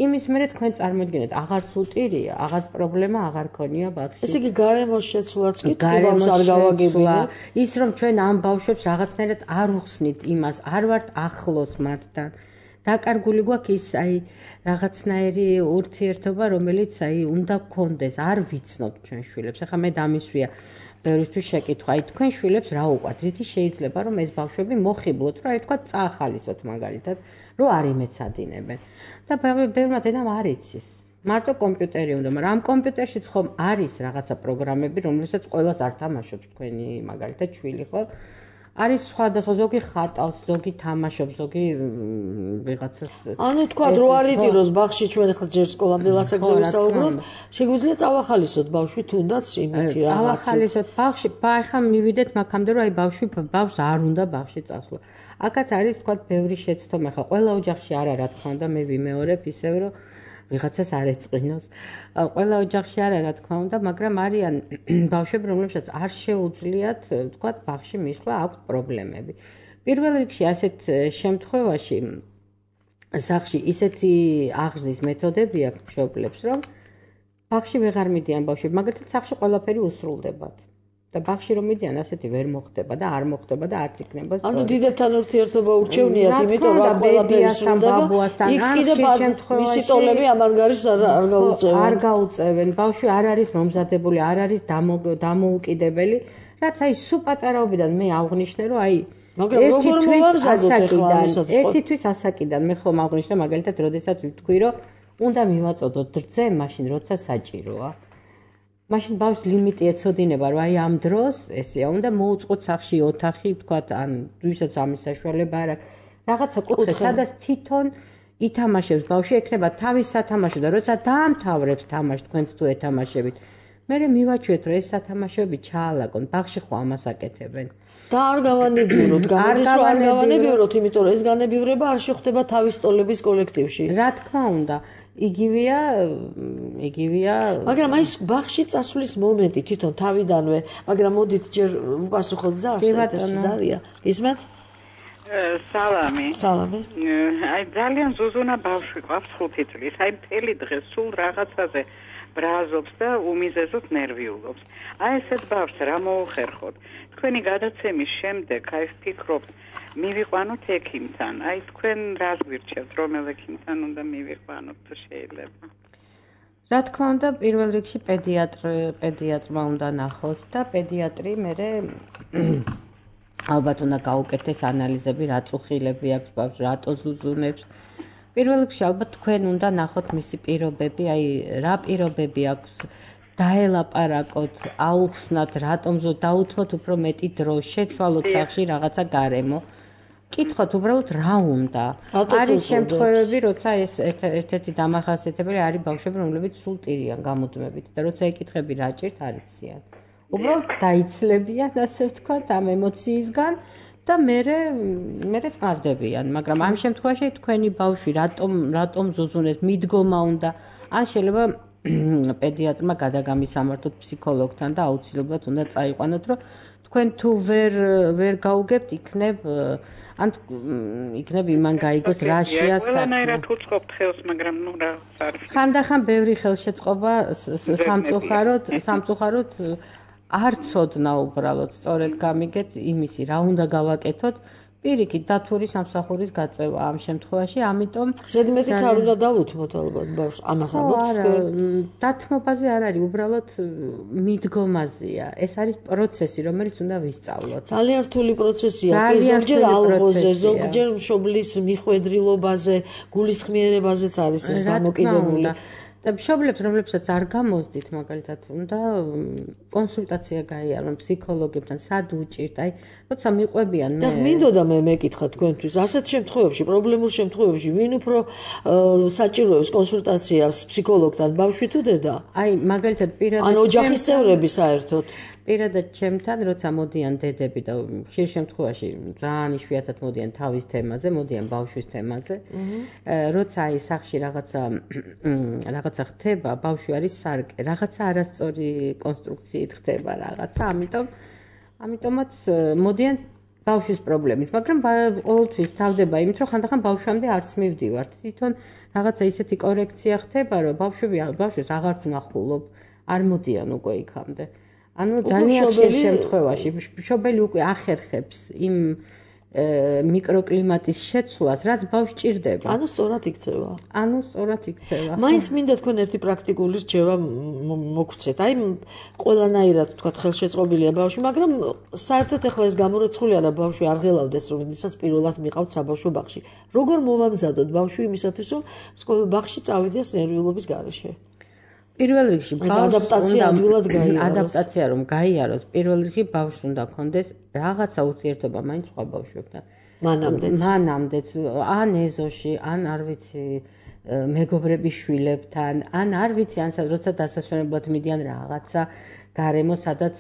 იმის მერე თქვენ წარმოიდგინეთ, აღარც უტირია, აღარც პრობლემა აღარ ქონია ბაღში. ესე იგი გარემოს შეცვლაც კი ბავშვს არ გავაგებინა. ის რომ ჩვენ ამ ბავშვებს რაღაცნაირად არ უხსნით იმას, არ ვართ ახლოს მათთან. დაკარგული გვაქვს ის რაღაცნაირი ურთიერთობა, რომელიც უნდა გქონდეს, არ ვიცნობთ ჩვენ შვილებს. ახლა მე დამისვია ბევრისთვის შეკითხვა, თქვენ შვილებს რა უყვართ? რითი შეიძლება რომ ეს ბავშვები მოხიბლოთ, რომ თქვა წაახალისოთ მაგალითად, რომ არ იმეცადინებენ. და ბევრმა დედამ არ იცის. მარტო კომპიუტერი უნდა, მაგრამ ამ კომპიუტერშიც ხომ არის რაღაცა პროგრამები, რომლებსაც ყველას არ თამაშობს თქვენი მაგალითად შვილი, ხო? არის სხვადასხვა, ზოგი ხატავს, ზოგი თამაშობს, ზოგი ვიღაცას. ანუ თქვა რო არ იტიროს ბაღში ჩვენ ახლა ჯერ სკოლამდე ასაკზე ვისაუბროთ, შეგვიძლია წავახალისოთ ბავშვი თუნდაც იმითი რაღაცა. წავახალისოთ ბაღში, ახლა მივიდეთ მაგამდე რომ ბავშვს არ უნდა ბაღში წასვლა. აქაც არის თქვა ბევრი შეცდომა, ახლა ყველა ოჯახში არა, რა თქმა უნდა, მე ვიმეორებ ისევ რომ ვიღაცას არ ეწყინოს. ყველა ოჯახში არა, რა თქმა უნდა, მაგრამ არიან ბავშვები, რომლებსაც არ შეუძლიათ, თქვა, ბაღში მისვლა, აქვს პრობლემები. პირველ რიგში ასეთ შემთხვევაში სახლში ისეთი აღზრდის მეთოდები აქვს მშობლებს, რომ ბაღში ვეღარ მიდიან ბავშვები, მაგალითად სახლში ყველაფერი უსრულდებათ. და ბაღში რომ მიდიან, ასეთი ვერ მოხდება და არ მოხდება და არც იქნება სწორი. ანუ დიდებთან ურთიერთობა ურჩევნიათ, იმიტომ რომ ყველაფერი სრულდება. იქ კიდე მისი ტოლები ამან გარის არ გაუწევენ. არ გაუწევენ. ბავშვი არ არის მომზადებული, არ არის დამოუკიდებელი, რაც სულ პატარაობიდან მე აღვნიშნე, რომ მაგრამ როგორ მოვამზადოთ ახლა ამისათვის? ერთი თვის ასაკიდან მე ხომ აღვნიშნე, მაგალითად, როდესაც ვთქვი, რომ უნდა მივაწოდოთ რძე, მაშინ როცა საჭიროა. მაშინ ბავშვს ლიმიტი ეცოდინება, რომ ამ დროს ესეა, უნდა მოუწყოთ სახლში ოთახი, თქვათ, ან ვისაც ამის საშუალება არ აქვს. რაღაცა კუთხე, სადაც თვითონ ითამაშებს ბავშვი, ექნება თავის სათამაშო და როცა დაამთავრებს თამაში, თქვენც თუ ეთამაშებით, მე მივაჩვიეთ, რომ ეს სათამაშოები ჩაალაგონ, ბაღში ხო ამას აკეთებენ. და არ გავანებივროთ, იმიტომ რომ ეს განებივრება არ შეხვდება თავის ტოლების კოლექტივში. რა თქმა უნდა, იგივეა. მაგრამ ბაღში წასვლის მომენტი თვითონ თავიდანვე, მაგრამ მოდით ჯერ უპასუხოთ ზარია. ისმენთ? სალამი. სალამი. ძალიან ზუზუნა ბავშვი ყავს 5 წლის. მთელი დღე სულ რაღაცაზე ბრაზობს და უმიზეზოდ ნერვიულობს. ესეთ ბავშვს რა მოუხერხოთ? თქვენი გადაცემის შემდეგ აი ვფიქრობთ მივიყვანოთ ექიმთან. აი თქვენ რა გვირჩევთ, რომელ ექიმთან უნდა მივიყვანოთ თუ შეიძლება? რა თქმა უნდა, პირველ რიგში პედიატრმა უნდა ნახოს და პედიატრი მერე ალბათ უნდა გაუკეთდეს ანალიზები, რა წუხილები აქვს ბავშვს, რატო ზუზუნებს. პირველ რიგში ალბათ თქვენ უნდა ნახოთ მისი პირობები, აი რა პირობები აქვს, დაელაპარაკოთ, აუხსნათ, რატომ დაუთმოთ უფრო მეტი დრო, შეცვალოთ სახლში რაღაცა გარემო. კითხოთ უბრალოდ რა უნდა. არის შემთხვევები, როცა ეს ერთ-ერთი დამახასიათებელი არის ბავშვები, რომლებიც სულ ტირიან გამუდმებით და როცა ეკითხები რა ჭირთ, არ იციან. უბრალოდ დაიცლებიან, ასე ვთქვათ, ამ ემოციისგან და მერე წყარდებიან, მაგრამ ამ შემთხვევაში თქვენი ბავშვი რატომ ზუზუნებს, მიდგომა უნდა, ან შეიძლება პედიატრმა გადაგამისამართოთ ფსიქოლოგთან და აუცილებლად უნდა წაიყვანოთ, რომ თქვენ თუ ვერ გაუგებთ, იქნებ იმან გაიგოს რა შეა საქმე. ყველანაირად უწყობთ ხელს, მაგრამ ნუ რა არის. ხანდახან ბევრი ხელშეწყობა სამწუხაროდ არ ცოდნა უბრალოდ სწორედ გამიგეთ იმისი რა უნდა გავაკეთოთ. პირიქით დათური სამსახურის გაწევა ამ შემთხვევაში, ამიტომ ზედმეტიც არ უნდა დავუთმოთ ალბათ ბავშვს. ამას ამბობთ. დათმობაზე არ არის, უბრალოდ მიდგომაზეა. ეს არის პროცესი, რომელიც უნდა ვისწავლოთ. ძალიან რთული პროცესია. ზოგჯერ ალღოზე, ზოგჯერ მშობლის მიხვედრილობაზე, გულისხმიერებაზეც არის ეს დამოკიდებული. და მშობლებს, რომლებსაც არ გამოსდით, მაგალითად, უნდა კონსულტაცია გაიარონ ფსიქოლოგებთან, სად უჭირთ, აი, როცა მიყვებიან მე. და მინდოდა მე მეკითხა თქვენთვის, ასეთ შემთხვევებში, პრობლემურ შემთხვევებში, ვინ უფრო საჭიროებს კონსულტაციას ფსიქოლოგთან, ბავშვი თუ დედა? აი, მაგალითად, პირადად ან ოჯახის წევრები საერთოდ. პირადად ჩემთან, როცა მოდიან დედები და ხშირ შემთხვევაში ძალიან იშვიათად მოდიან თავის თემაზე, მოდიან ბავშვის თემაზე. როცა აი სახში რაღაცა ხდება, ბავშვი არის სარკე, რაღაცა არასწორი კონსტრუქციით ხდება რაღაცა, ამიტომაც მოდიან ბავშვის პრობლემით, მაგრამ ყოველთვის თავდება იმით, რომ ხანდახან ბავშვამდე არც მივდივართ. თვითონ რაღაცა ისეთი კორექცია ხდება, რომ ბავშვს აღარც ვნახულობ, არ მოდიან უკვე იქამდე. ანუ ძალიან ხშირ შემთხვევაში მშობელი უკვე ახერხებს იმ მიკროკლიმატის შეცვლას, რაც ბავშვს ჭირდება. ანუ სწორად იქცევა. მაინც მინდა თქვენ ერთი პრაქტიკული რჩევა მოგცეთ. აი ყველანაირად თქვა ხელშეწყობილია ბავშვი, მაგრამ საერთოდ ეხლა ეს გამორიცხული არა ბავშვი არ ღელავდეს, რომელსაც პირველად მიყავთ საბავშვო ბაღში. როგორ მოვამზადოთ ბავშვი იმისათვის, რომ ბაღში წავიდეს ნერვიულობის გარეშე? პირველ რიგში ადაპტაცია რომ გაიაროს, პირველ რიგში ბავშვს უნდა ქონდეს რაღაცა ურთიერთობა მაინც სხვა ბავშვებთან. მანამდეც, ან ეზოში, ან არ ვიცი, მეგობრების შვილებთან, ან არ ვიცი, ან როცა დასასვენებლად მიდიან რაღაცა გარემო, სადაც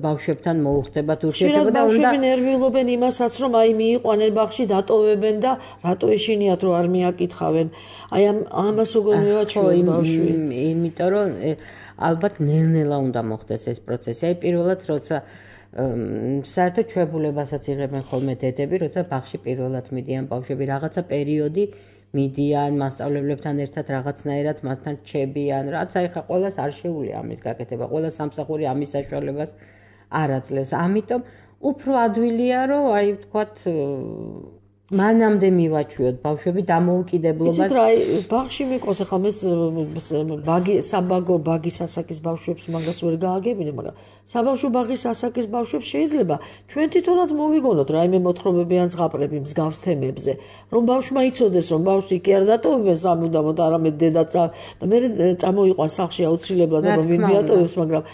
ბავშვებთან მოუხდებათ ურთიერთობა და ბავშვები ნერვიულობენ იმასაც, რომ აი მიიყვანენ ბაღში, დატოვებენ და რატო ეშინიათ, რომ არ მიაკითხავენ. აი ამას როგორ მივაჩვევთ ბავშვი? იმიტომ რომ ალბათ ნელ-ნელა უნდა მოხდეს ეს პროცესი. აი პირველად როცა საერთოდ ჩვეულებასაც იღებენ ხოლმე დედები, როცა ბაღში პირველად მიდიან ბავშვები, რაღაცა პერიოდი მიდიან მასწავლებლებთან ერთად რაღაცნაირად მასთან რჩებიან, რაც აი ხა ყველას არ შეუძლია ამის გაკეთება, ყველა სამსახური ამის საშუალებას არ აძლევს. ამიტომ უფრო ადვილია, რომ აი ვთქვათ მანამდე მივაჩვიოთ ბავშვები დამოუკიდებლობას. იცით რა, ბაღში მიყოს ახლა საბაგო ბაგის ასაკის ბავშვებს მაგას ვერ გააგებინე, მაგრამ საბავშვო ბაღის ასაკის ბავშვებს შეიძლება ჩვენ თვითონაც მოვიგონოთ რაიმე მოთხრობები ან ზღაპრები მსგავს თემებზე, რომ ბავშვმა იცოდეს, რომ ბავშვი კი არ დატოვებენ სამუდამოდ, არამედ დედა და მე წამოიყვან სახლში აუცილებლად, რომ ვინ მიატოვებს, მაგრამ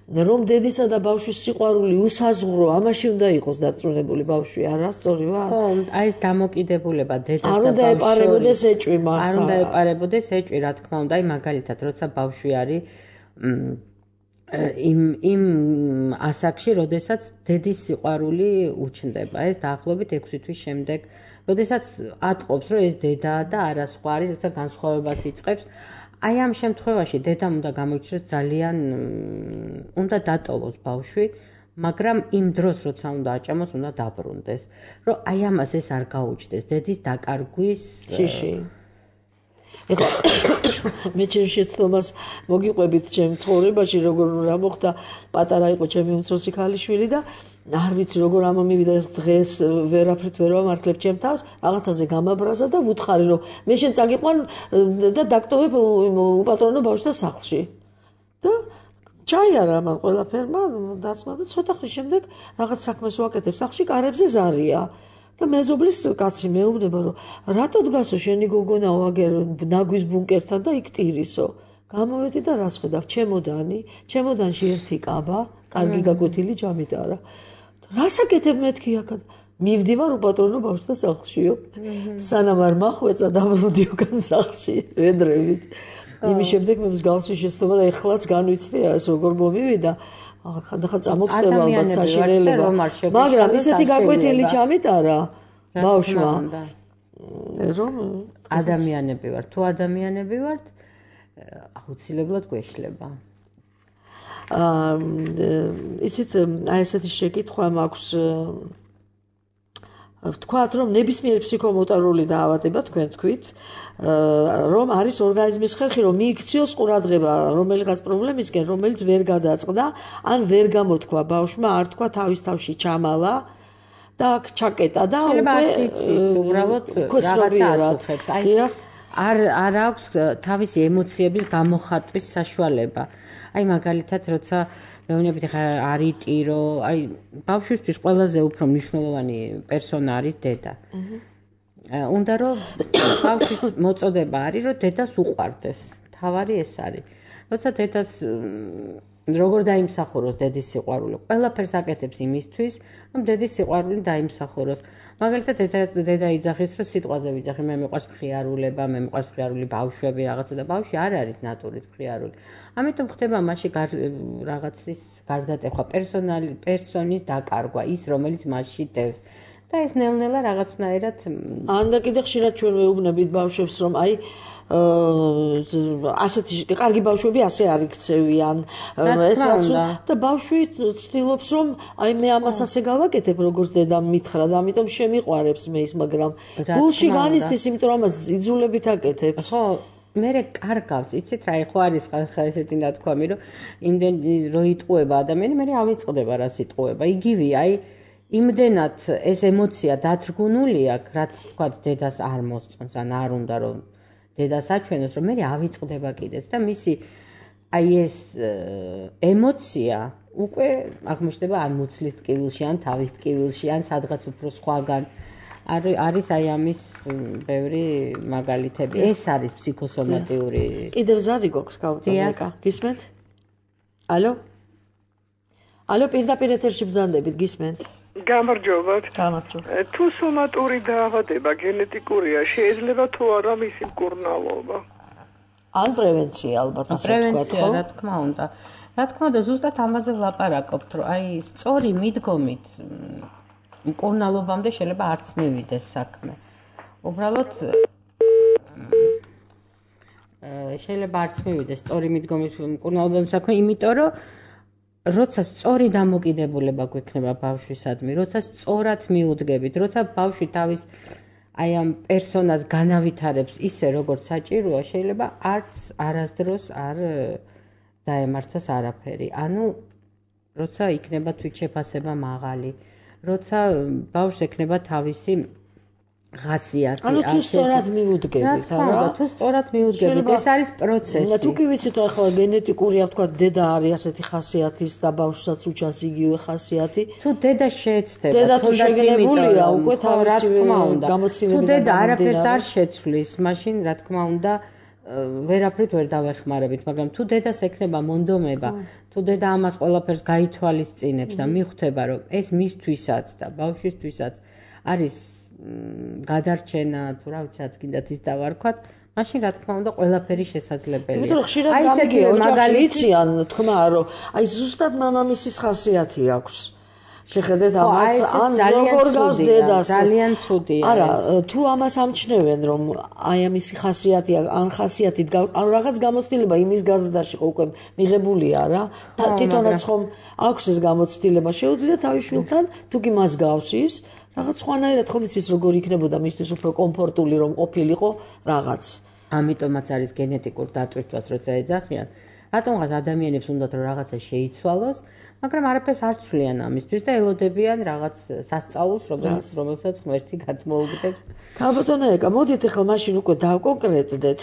რომ დედისა და ბავშვის სიყვარული usazღრო, ამაში უნდა იყოს დარწმუნებული ბავშვი, არა სწორი ვარ? ხო, აი ეს დამოკიდებულება დედას და ბავშვის. არ უნდა ეპარებოდეს ეჭვი მას. არ უნდა ეპარებოდეს ეჭვი, რა თქმა უნდა, აი მაგალითად, როცა ბავშვი არის იმ ასაკში, როდესაც დედის სიყვარული უჩნდება, ეს დაახლოებით 6 თვის შემდეგ, როდესაც ატყობს, რომ ეს დედაა და არა სხვა არის, როცა განსხვავებას იწყებს. აი ამ შემთხვევაში დედამ უნდა გამოიჩინოს ძალიან უნდა დატოვოს ბავშვი, მაგრამ იმ დროს როცა უნდა აჭამოს, უნდა დაბრუნდეს, რომ აი ამას ეს არ გაუჩნდეს დედის დაკარგვის შიში. ეხლა მე ჩემ შეცდომას მოგიყვებით ჩემ ცხოვრებაში, როგორ რა მოხდა, პატარა იყო ჩემი უმცროსი ქალიშვილი და არ ვიცი როგორ ამომივიდა ეს დღეს ვერაფრით ვერ ვამართლებ ჩემ თავს, რაღაცაზე გამაბრაზა და ვუთხარი რომ მე შენ წაგიყვან და დაგტოვებ უპატრონო ბავშვთა სახლში. და ჩაიარა მან ყველაფერმა დაწვა და ცოტა ხნის შემდეგ რაღაც საქმეს ვაკეთებ სახლში, კარებზე ზარია. და მეზობლის კაცი მეუბნება რომ რატო დგასო შენი გოგონაო აგერ ნაგვის ბუნკერთან და იქ ტირისო. გამოვედი და რას ხედავ ჩემოდანი, ჩემოდანში ერთი კაბა, კარგი გაკვეთილი ჯამით არა. რას აკეთებ მეთქი აქად? მივდივარ უპატრონო ბავშვთა სახლშიო. სანამ არ მახვეწა დაბრუნდი უკან სახლში, ვედრებით. იმის შემდეგ მე მსგავსი შეცდომა და ეხლაც განვიცდი ეს როგორ მომივიდა. ხანდახან წამოგწდება ალბათ საშინელება. მაგრამ ისეთი გაკვეთილი ჯამით არა ბავშვმა. რომ ადამიანები ვართ, თუ ადამიანები ვართ, აუცილებლად გვეშლება. იცით, აი ესეთი შეკითხვა მაქვს ვთქვათ, რომ ნებისმიერი ფსიქომოტარული დაავადება თქვენ თქვით, რომ არის ორგანიზმის ხერხი, რომ მიიქციოს ყურადღება რომელიღაც პრობლემისკენ, რომელიც ვერ გადაწყდა, ან ვერ გამოთქვა ბავშვმა, არ თქვა თავის თავში ჩამალა და აქ ჩაკეტა და უკვე უბრალოდ რაღაცა აწუხებს. არ აქვს თავისი ემოციების გამოხატვის საშუალება. აი მაგალითად, როცა მეუბნებით ხა არიტირო, აი ბავშვისთვის ყველაზე უფრო მნიშვნელოვანი პერსონა არის დედა. უნდა რომ ბავშვის მოწოდება არის, რომ დედას უყვარდეს. თავარი ეს არის. როცა დედას როგორ დაიმსახუროს დედის სიყვარული, ყველაფერს აკეთებს იმისთვის, რომ დედის სიყვარული დაიმსახუროს. მაგალითად დედა იძახის, რომ სიტყვაზე ვიძახი, მე მიყვარს მხიარულება, მე მიყვარს მხიარული ბავშვები, რაღაცა და ბავშვი არ არის ნატურით მხიარული. ამიტომ ხდება მასში რაღაცის გარდატეხვა, პერსონის დაკარგვა, ის რომელიც მასში დევს. და ეს ნელ-ნელა რაღაცნაირად ან და კიდე ხშირად ჩვენ ვეუბნებით ბავშვებს, რომ აი ასეთი კარგი ბავშვები ასე არ იქცევიან, ეს რაც და ბავშვი ცდილობს, რომ აი მე ამას ასე გავაკეთებ, როგორც დედამ მითხრა და ამიტომ შემიყვარებს მე ის, მაგრამ გულში განიცდის, იმიტომ რომ ამას იძულებით აკეთებს. ხო, მე კარგავს, იცით რა, ხო არის ხალხა ესეთი ნათქვამი, რომ იმდენი რო იტყუება ადამიანი, მე ავიწყდება რა სიტყუება. იგივე, აი იმდენად ეს ემოცია დათრგუნული აქვს, რაც თქვა დედას არ მოსწონს, ან არ უნდა რომ დედას აჩვენოს, რომ მე ავიწყდება კიდეც და მისი აი ეს ემოცია უკვე აღმოჩნდება ან მუცლის ტკივილში, ან თავის ტკივილში, ან სადღაც უფრო სხვაგან. არის აი ამის ბევრი მაგალითები. ეს არის ფსიქოსომატიური. კიდევ ზარი გვაქვს გავუტანეკა. გისმენთ? ალო? ალო, პირდაპირ ეთერში ბრძანდებით, გისმენთ? გამარჯობათ. გამარჯობა. თუ სომატური დაავადება გენეტიკურია, შეიძლება თუ არა მისი მკურნალობა? ან პრევენცია ალბათ ასე ვთქვათ, ხო? პრევენცია, რა თქმა უნდა. რა თქმა უნდა, ზუსტად ამაზე ვლაპარაკობთ, რომ აი სწორი მიდგომით მკურნალობამდე შეიძლება არც მივიდეს საქმე. უბრალოდ შეიძლება არც მივიდეს სწორი მიდგომით მკურნალობამდე საქმე, იმიტომ რომ როცა სწორი დამოკიდებულება გვექნება ბავშვისადმი, როცა სწორად მიუდგებით, როცა ბავშვი თავის აი ამ პერსონას განავითარებს ისე, როგორც საჭიროა, შეიძლება არც არასდროს არ დაემართოს არაფერი. ანუ როცა იქნება თვითშეფასება მაღალი, როცა ბავშვს ექნება თავისი ხასიათი. ანუ თუ სწორად მიუდგებით, არა? თუ სწორად მიუდგებით, ეს არის პროცესი. თუ კი ვიცით, რომ ახლა გენეტიკურია, ვთქვა, დედა არის ასეთი ხასიათის და ბავშვსაც უჩანს იგივე ხასიათი. თუ დედა შეეცდება, დედა თუ შეგნებულია, უკვე თავისი გამოცდილებიდან. თუ დედა არაფერს არ შეცვლის, მაშინ რა თქმა უნდა ვერაფრით ვერ დავეხმარებით, მაგრამ თუ დედას ექნება მონდომება, თუ დედა ამას ყველაფერს გაითვალისწინებს და მიხვდება, რომ ეს მისთვისაც და ბავშვისთვისაც არის გადარჩენა, თუ რა ვიცი, რაც გინდათ ის დავარქვათ, მაშინ რა თქმა უნდა ყველაფერი შესაძლებელია. იმიტომ რომ ხშირად გამიგია ოჯახში იციან თქმა, რომ აი ზუსტად მამამისის ხასიათი აქვს. შეხედეთ ამას, ან როგორ გავს დედას. ძალიან ცუდია. არა, თუ ამას ამჩნევენ, რომ აი ამისი ხასიათი, ან ხასიათით, ან რაღაც გამოცდილება იმის გაზრდაში ხო უკვე მიღებულია რა. და თვითონაც ხომ აქვს ეს გამოცდილება, შეუძლია თავის შვილთან, თუ კი მას გავს ის რაღაც სხვანაირად ხომ იცის როგორ იქნებოდა მისთვის უფრო კომფორტული რომ ყოფილიყო რაღაც. ამიტომაც არის გენეტიკურ დატვირთვას როცა ეძახიან. რატომღაც ადამიანებს უნდათ რომ რაღაცა შეიცვალოს, მაგრამ არაფერს არ ცვლიან ამისთვის და ელოდებიან რაღაც სასწაულს, რომელსაც ღმერთი გადმოუგდებს. ალბათონა ეკა, მოდით ახლა მაშინ უკვე დავკონკრეტდეთ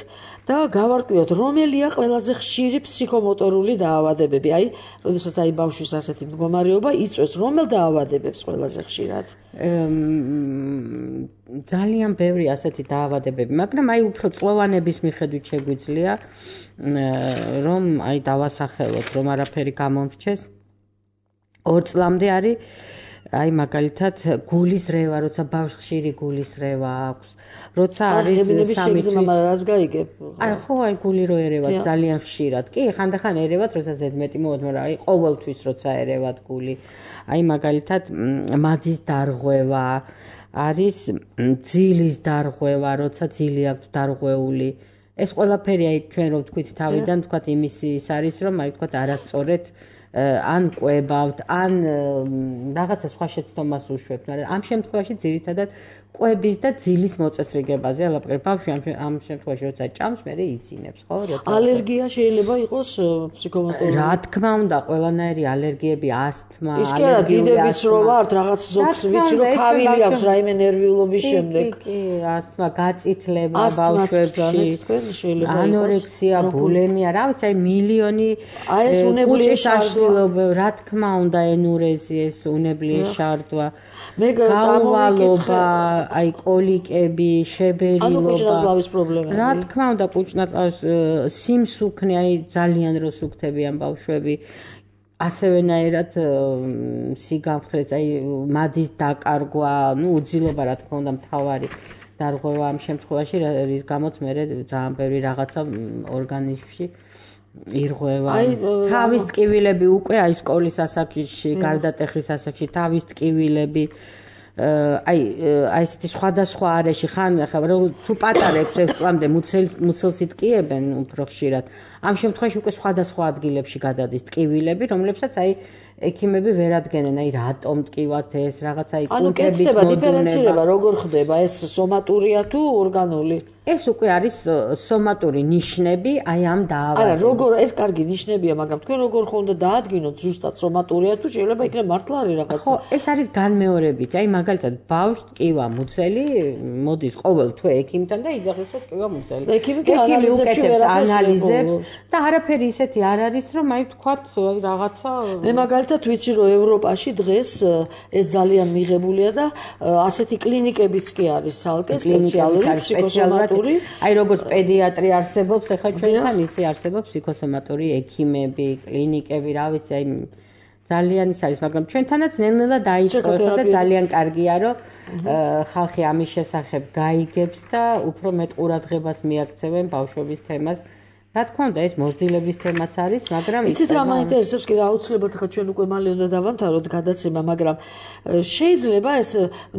და გავარკვიოთ, რომელია ყველაზე ხშირი ფსიქომოტორული დაავადებები. აი, როდესაც აი ბავშვის ასეთი მდგომარეობა იწვევს, რომელ დაავადებებს ყველაზე ხშირად? ძალიან ბევრი ასეთი დაავადებები, მაგრამ აი უფრო წლოვანების მიხედვით შეგვიძლია რომ აი დავასახელოთ, რომ არაფერი გამომრჩეს. 2 წლამდე არის აი მაგალითად გულის რევა, როცა ბავშვს ხშირი გულის რევა აქვს, როცა არის სამი რას გაიგებ? არა, ხო, აი გული რო ერევათ ძალიან ხშირად. კი, ხანდახან ერევათ, როცა ზედმეტი მოვა, მაგრამ აი ყოველთვის როცა ერევათ გული. აი მაგალითად მადის დარღვევა, არის ძილის დარღვევა, როცა ძილი აქვს დარღვეული. ეს ყველაფერი აი ჩვენ რო ვთქვით თავიდან, ვთქვათ იმის ის არის, რომ აი ვთქვათ არასწორად ან ყვებავთ, ან რაღაცა სხვა შეცდომას უშვებთ, მაგრამ ამ შემთხვევაში ძირითადად ყვების და ძილის მოწესრიგებაზე ალაპყრებ. ბავშვი ამ შემთხვევაში როცა ჭამს, მერე იცინებს, ხო? როცა ალერგია შეიძლება იყოს ფსიქომოტორული. რა თქმა უნდა, ყველანაირი ალერგიები, ასთმა, ის კი არა, დიდებიც რო ვართ, რაღაც ზოგს ვიცი რომ ქავილი აქვს რაიმე ნერვიულობის შემდეგ. კი, ასთმა, გაწითლება ბავშვებში, ანორექსია, ბულიმია, რა ვიცი, აი მილიონი კუჭის აშლილობა, რა თქმა უნდა, ენურეზი, ეს უნებლიე შარდვა, გაუვალობა, აი კოლიკები, შებერილობა. ანუ კუჭნაწლავის პრობლემები. რა თქმა უნდა, კუჭნაწლავის სიმსუქნე, აი ძალიან რო სუქთებიან ბავშვები. ასევენაირად სიგამხრეც, აი მადის დაკარგვა, ნუ უძილობა რა თქმა უნდა მთავარი დარღვევა ამ შემთხვევაში, რის გამოც მე ძალიან ბევრი რაღაცა ორგანიზმში ირღვევა. თავის ტკივილები უკვე აი სკოლის ასაკში, გარდატეხის ასაკში, თავის ტკივილები აი ესეთი სხვადასხვა არეში ხან ახლა თუ პატარებს 6 წლამდე მუცელს იტკიებენ უფრო ხშირად. ამ შემთხვევაში უკვე სხვადასხვა ადგილებში გადადის ტკივილები, რომლებსაც აი ექიმები ვერ ადგენენ, აი რატომ ტკივათ ეს რაღაცა აი კუნთების მოდუნება. ანუ დიფერენცირება როგორ ხდება, ეს სომატურია თუ ორგანული? ეს უკვე არის სომატური ნიშნები აი ამ დაავადების. არა, როგორ ეს კარგი ნიშნებია, მაგრამ თქვენ როგორ ხო უნდა დაადგინოთ ზუსტად სომატურია თუ შეიძლება იქნება მართლა არის რაღაც? ხო, ეს არის განმეორებით. აი მაგალითად ბავშვს ტკივა მუცელი, მოდის ყოველ თვე ექიმთან და იძახისო ტკივა მუცელი. ექიმი უკეთებს ანალიზებს და არაფერი ისეთი არ არის, რომ აი ვთქვათ აი რაღაცა მე მაგალითად ვიცი რომ ევროპაში დღეს ეს ძალიან მიღებულია და ასეთი კლინიკებიც კი არის სალკე სპეციალური ფსიქოსომატური. აი როგორც პედიატრი არსებობს, ახლა ჩვენთან ისე არსებობს ფსიქოსომატური ექიმები, კლინიკები, რა ვიცი, აი ძალიან ის არის, მაგრამ ჩვენთანაც ნელ-ნელა დაიწყო და ძალიან კარგია, რომ ხალხი ამის შესახებ გაიგებს და უფრო მეტ ყურადღებას მიაქცევენ ბავშვების თემას. რა თქმა უნდა, ეს მოსდილების თემაც არის, მაგრამ იცით რა მაინტერესებს კიდე აუცილებლად ხა ჩვენ უკვე მალე უნდა დავამთავროთ გადაცემა, მაგრამ შეიძლება ეს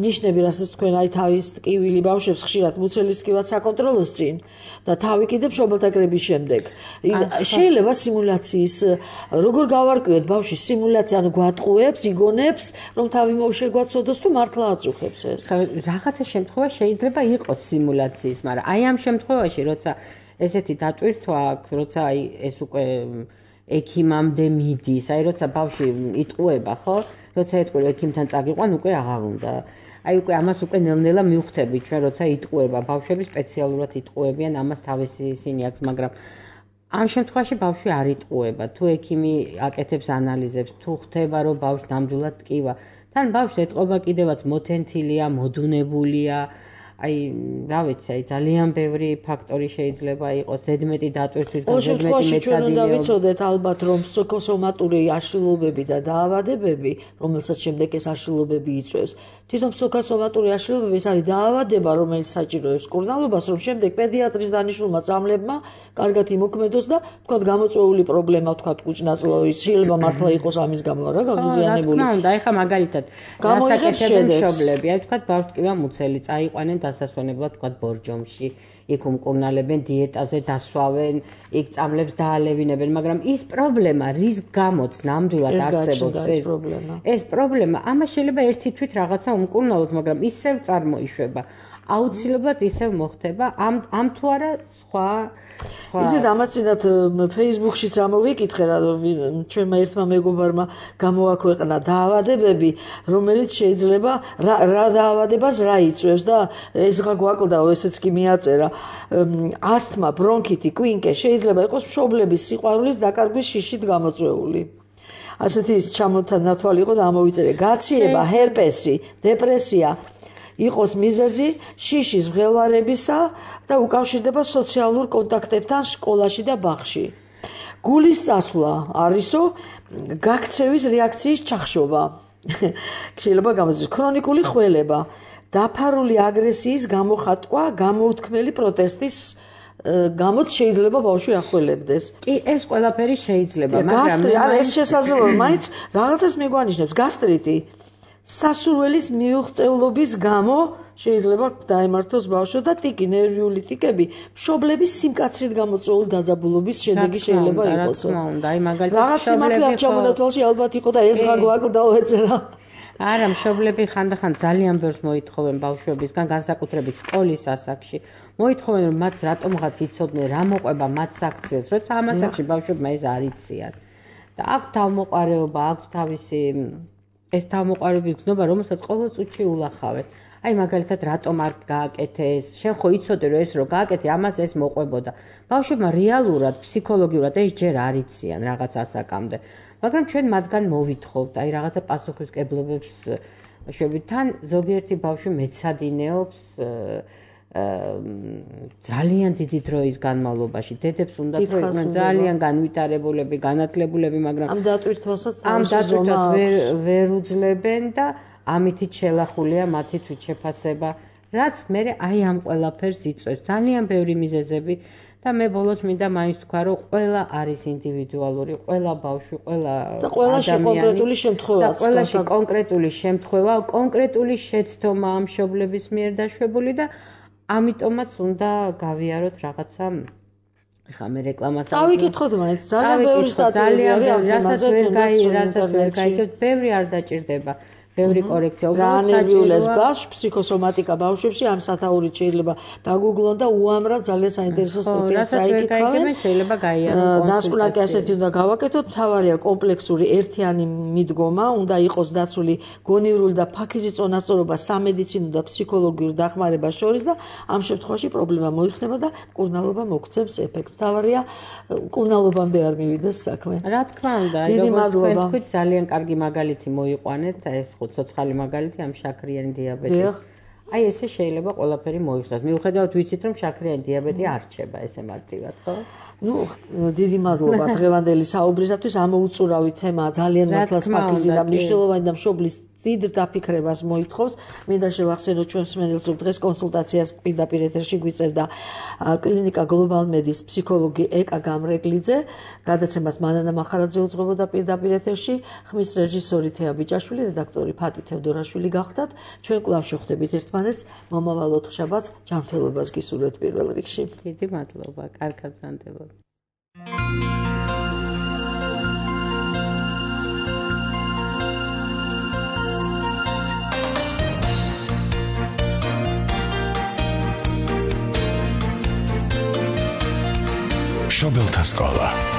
ნიშნები, რასაც თქვენ აი თავის ტკივილი ბავშვებს ხშირად მუცელის ტკივაც საკონტროლოს წინ და თავი კიდე მშობელთაგრების შემდეგ. შეიძლება სიმულაციის როგორ გავარკვიოთ ბავშვის სიმულაცია, ანუ გვატყუებს, იგონებს, რომ თავი მოშეგვაცოდოს თუ მართლა აწუხებს ეს. რაღაცა შემთხვევა შეიძლება იყოს სიმულაციის, მაგრამ აი ამ შემთხვევაში, როცა ესეთი დატვირთვა აქვს, როცა აი ეს უკვე ექიმამდე მიდის, აი როცა ბავშვი იტყუება, ხო? როცა ეტყვი ექიმთან წაგიყვან, უკვე აღარ უნდა. აი უკვე ამას უკვე ნელ-ნელა მივხვდებით ჩვენ, როცა იტყუება, ბავშვები სპეციალურად იტყუებიან, ამას თავისი ისინი აქვს, მაგრამ ამ შემთხვევაში ბავშვი არ იტყუება. თუ ექიმი აკეთებს ანალიზებს, თუ ხვდება, რომ ბავშვს ნამდვილად ტკივა, თან ბავშვს ეტყობა კიდევაც მოთენთილია, მოდუნებულია. აი, რა ვიცი, აი ძალიან ბევრი ფაქტორი შეიძლება იყოს, ზედმეტი დატვირთვის და ზედმეტი მეცადინეობა. ჩვენ უნდა ვიცოდეთ ალბათ, რომ ფსიქოსომატური აშლილობები და დაავადებები, რომელსაც შემდეგ ეს აშლილობები იწვევს, თვითონ ფსიქოსომატური აშლილობები ეს არის დაავადება, რომელიც საჭიროებს მკურნალობას, რომ შემდეგ პედიატრის დანიშნულმა წამლებმა კარგად იმოქმედოს და თქვათ გამოწვეული პრობლემა, თქვათ კუჭნაწლავის, შეიძლება მართლა იყოს ამის გამო რა გაღიზიანებული. რა თქმა უნდა, ეხა მაგალითად გასაკეთებენ მშობლები, აი თქვათ ბავშვს ტკივა მუცელი, წაიყვანენ დასასვენებლად თქვათ ბორჯომში. იქ უმკურნალებენ, დიეტაზე დასვავენ, იქ წამლებს დაალევინებენ, მაგრამ ის პრობლემა, რის გამოც ნამდვილად არსებობს ეს პრობლემა, ამას შეიძლება ერთი თვით რაღაცა უმკურნალოთ, მაგრამ ისევ წარმოიშვება. აუცილებლად ისევ მოხდება ამ თუ არა სხვა ისეთ ამას წინათ Facebook-შიც ამოვიკითხე რა ჩვენმა ერთმა მეგობარმა გამოაქვეყნა დაავადებები რომელიც შეიძლება რა დაავადებას რა იწვევს და ეს რა გვაკლდაო ესეც კი მიაწერა ასთმა, ბრონქიტი, კვინკე შეიძლება იყოს მშობლების სიყვარულის დაკარგვის შიშით გამოწვეული ასეთი ის ჩამოთანათვალი იყო და ამოვიწერე გაციება, ჰერპესი, დეპრესია იყოს მიზეზი შიშის მღელვარებისა და უკავშირდება სოციალურ კონტაქტებთან სკოლაში და ბაღში. გულის წასვლა არისო გაქცევის რეაქციის ჩახშობა. შეიძლება გამოიწვიოს ქრონიკული ხველება, დაფარული აგრესიის გამოხატვა, გამოუთქმელი პროტესტის გამოც შეიძლება ბავშვი ახველებდეს. კი, ეს ყველაფერი შეიძლება, მაგრამ ეს შესაძლოა, მაინც რაღაცას მიგვანიშნებს გასტრიტი. სასურველის მიუღწევლობის გამო შეიძლება დაემართოს ბავშვო და ტიკი, ნერვიული ტიკები, მშობლების სიმკაცრით გამოწვეული დაძაბულობის შედეგი შეიძლება იყოს. რა თქმა უნდა, აი მაგალითად რაღაც სიმართლე ამ ჩამონათვალში ალბათ იყო და ეს რა გვაკლდაო ეწერა. არა, მშობლები ხანდახან ძალიან ბევრს მოითხოვენ ბავშვებისგან, განსაკუთრებით სკოლის ასაკში. მოითხოვენ, რომ მათ რატომღაც იცოდნენ, რა მოყვება მათ საქციელს, როცა ამ ასაკში ბავშვებმა ეს არ იციან. და აქვთ თავმოყარეობა, აქვთ თავისი ეს თავმოყარების გზნობა, რომელსაც ყოველ წუთში ულახავენ. აი მაგალითად რატომ არ გააკეთე ეს? შენ ხო იცოდე რომ ეს რო გააკეთე, ამას ეს მოყვებოდა. ბავშვებმა რეალურად, ფსიქოლოგიურად ეს ჯერ არ იციან რაღაც ასაკამდე. მაგრამ ჩვენ მათგან მოვითხოვთ, აი რაღაცა პასუხისმგებლობებს შვებთან ზოგიერთი ბავშვი მეცადინეობს ძალიან დიდი დროის განმავლობაში დედებს უნდა თქვენ ძალიან განვითარებულები, განათლებულები, მაგრამ ამ დატვირთვასაც ვერ უძლებენ და ამითით შელახულია მათი თვითშეფასება, რაც მე აი ამ ყველაფერს იწვევს. ძალიან ბევრი მიზეზები და მე ბოლოს მინდა მაინც თქვა, რომ ყველა არის ინდივიდუალური, ყველა ბავშვი, ყველა და ყველაში კონკრეტული შემთხვევაა. და ყველაში კონკრეტული შემთხვევა, კონკრეტული შეცდომა ამ მშობლების მიერ დაშვებული და ამიტომაც უნდა გავიაროთ რაღაცა ხა მე რეკლამას წავიკითხოთ მაინც ძალიან ბევრი სტატიები არის რასაც ვერ გაიგებთ ბევრი არ დაჭირდება ბევრი კორექცია უბრალოდ საჭიროა ბავშვ ფსიქოსომატიკა ბავშვებში ამ სათაურით შეიძლება დაგუგლონ და უამრავ ძალიან საინტერესო სტატიას წაიკითხავენ შეიძლება გაიარონ დასკვნაკი ასეთი უნდა გავაკეთოთ თავარია კომპლექსური ერთიანი მიდგომა უნდა იყოს დაცული გონივრული და ფაქიზი წონასწორობა სამედიცინო და ფსიქოლოგიურ დახმარებას შორის და ამ შემთხვევაში პრობლემა მოიხსნება და მკურნალობა მოგცემს ეფექტს თავარია მკურნალობამდე არ მივიდეს საქმე რა თქმა უნდა როგორც თქვენ თქვით ძალიან კარგი მაგალითი მოიყვანეთ ეს ცოცხალი მაგალითი ამ შაქრიანი დიაბეტის. აი ესე შეიძლება ყველაფერი მოიხსნას. მიუხედავად ვიცით რომ შაქრიანი დიაბეტი არ რჩება ესე მარტივად, ხო? ნუ დიდი მადლობა დღევანდელი საუბრისათვის. ამოუწურავი თემაა ძალიან მართლაც ფაქიზი და მნიშვნელოვანი და მშობლის ძიდ დაფიქრებას მოითხოვს. მინდა შევახსენოთ ჩვენს მსმენელს რომ დღეს კონსულტაციას პირდაპირ ეთერში გვიწევდა კლინიკა გლობალ მედის ფსიქოლოგი ეკა გამრეგლიძე. გადაცემას მანანა მახარაძე უძღვებოდა პირდაპირ ეთერში. ხმის რეჟისორი თეა ბიჭაშვილი, რედაქტორი ფატი თევდორაშვილი გახდათ. ჩვენ კვლავ შევხვდებით ერთმანეთს მომავალ ოთხშაბათს. ჯანმრთელობას გისურვებთ პირველ რიგში. დიდი მადლობა. კარგად გრძანდებოდა. მშობელთა სკოლა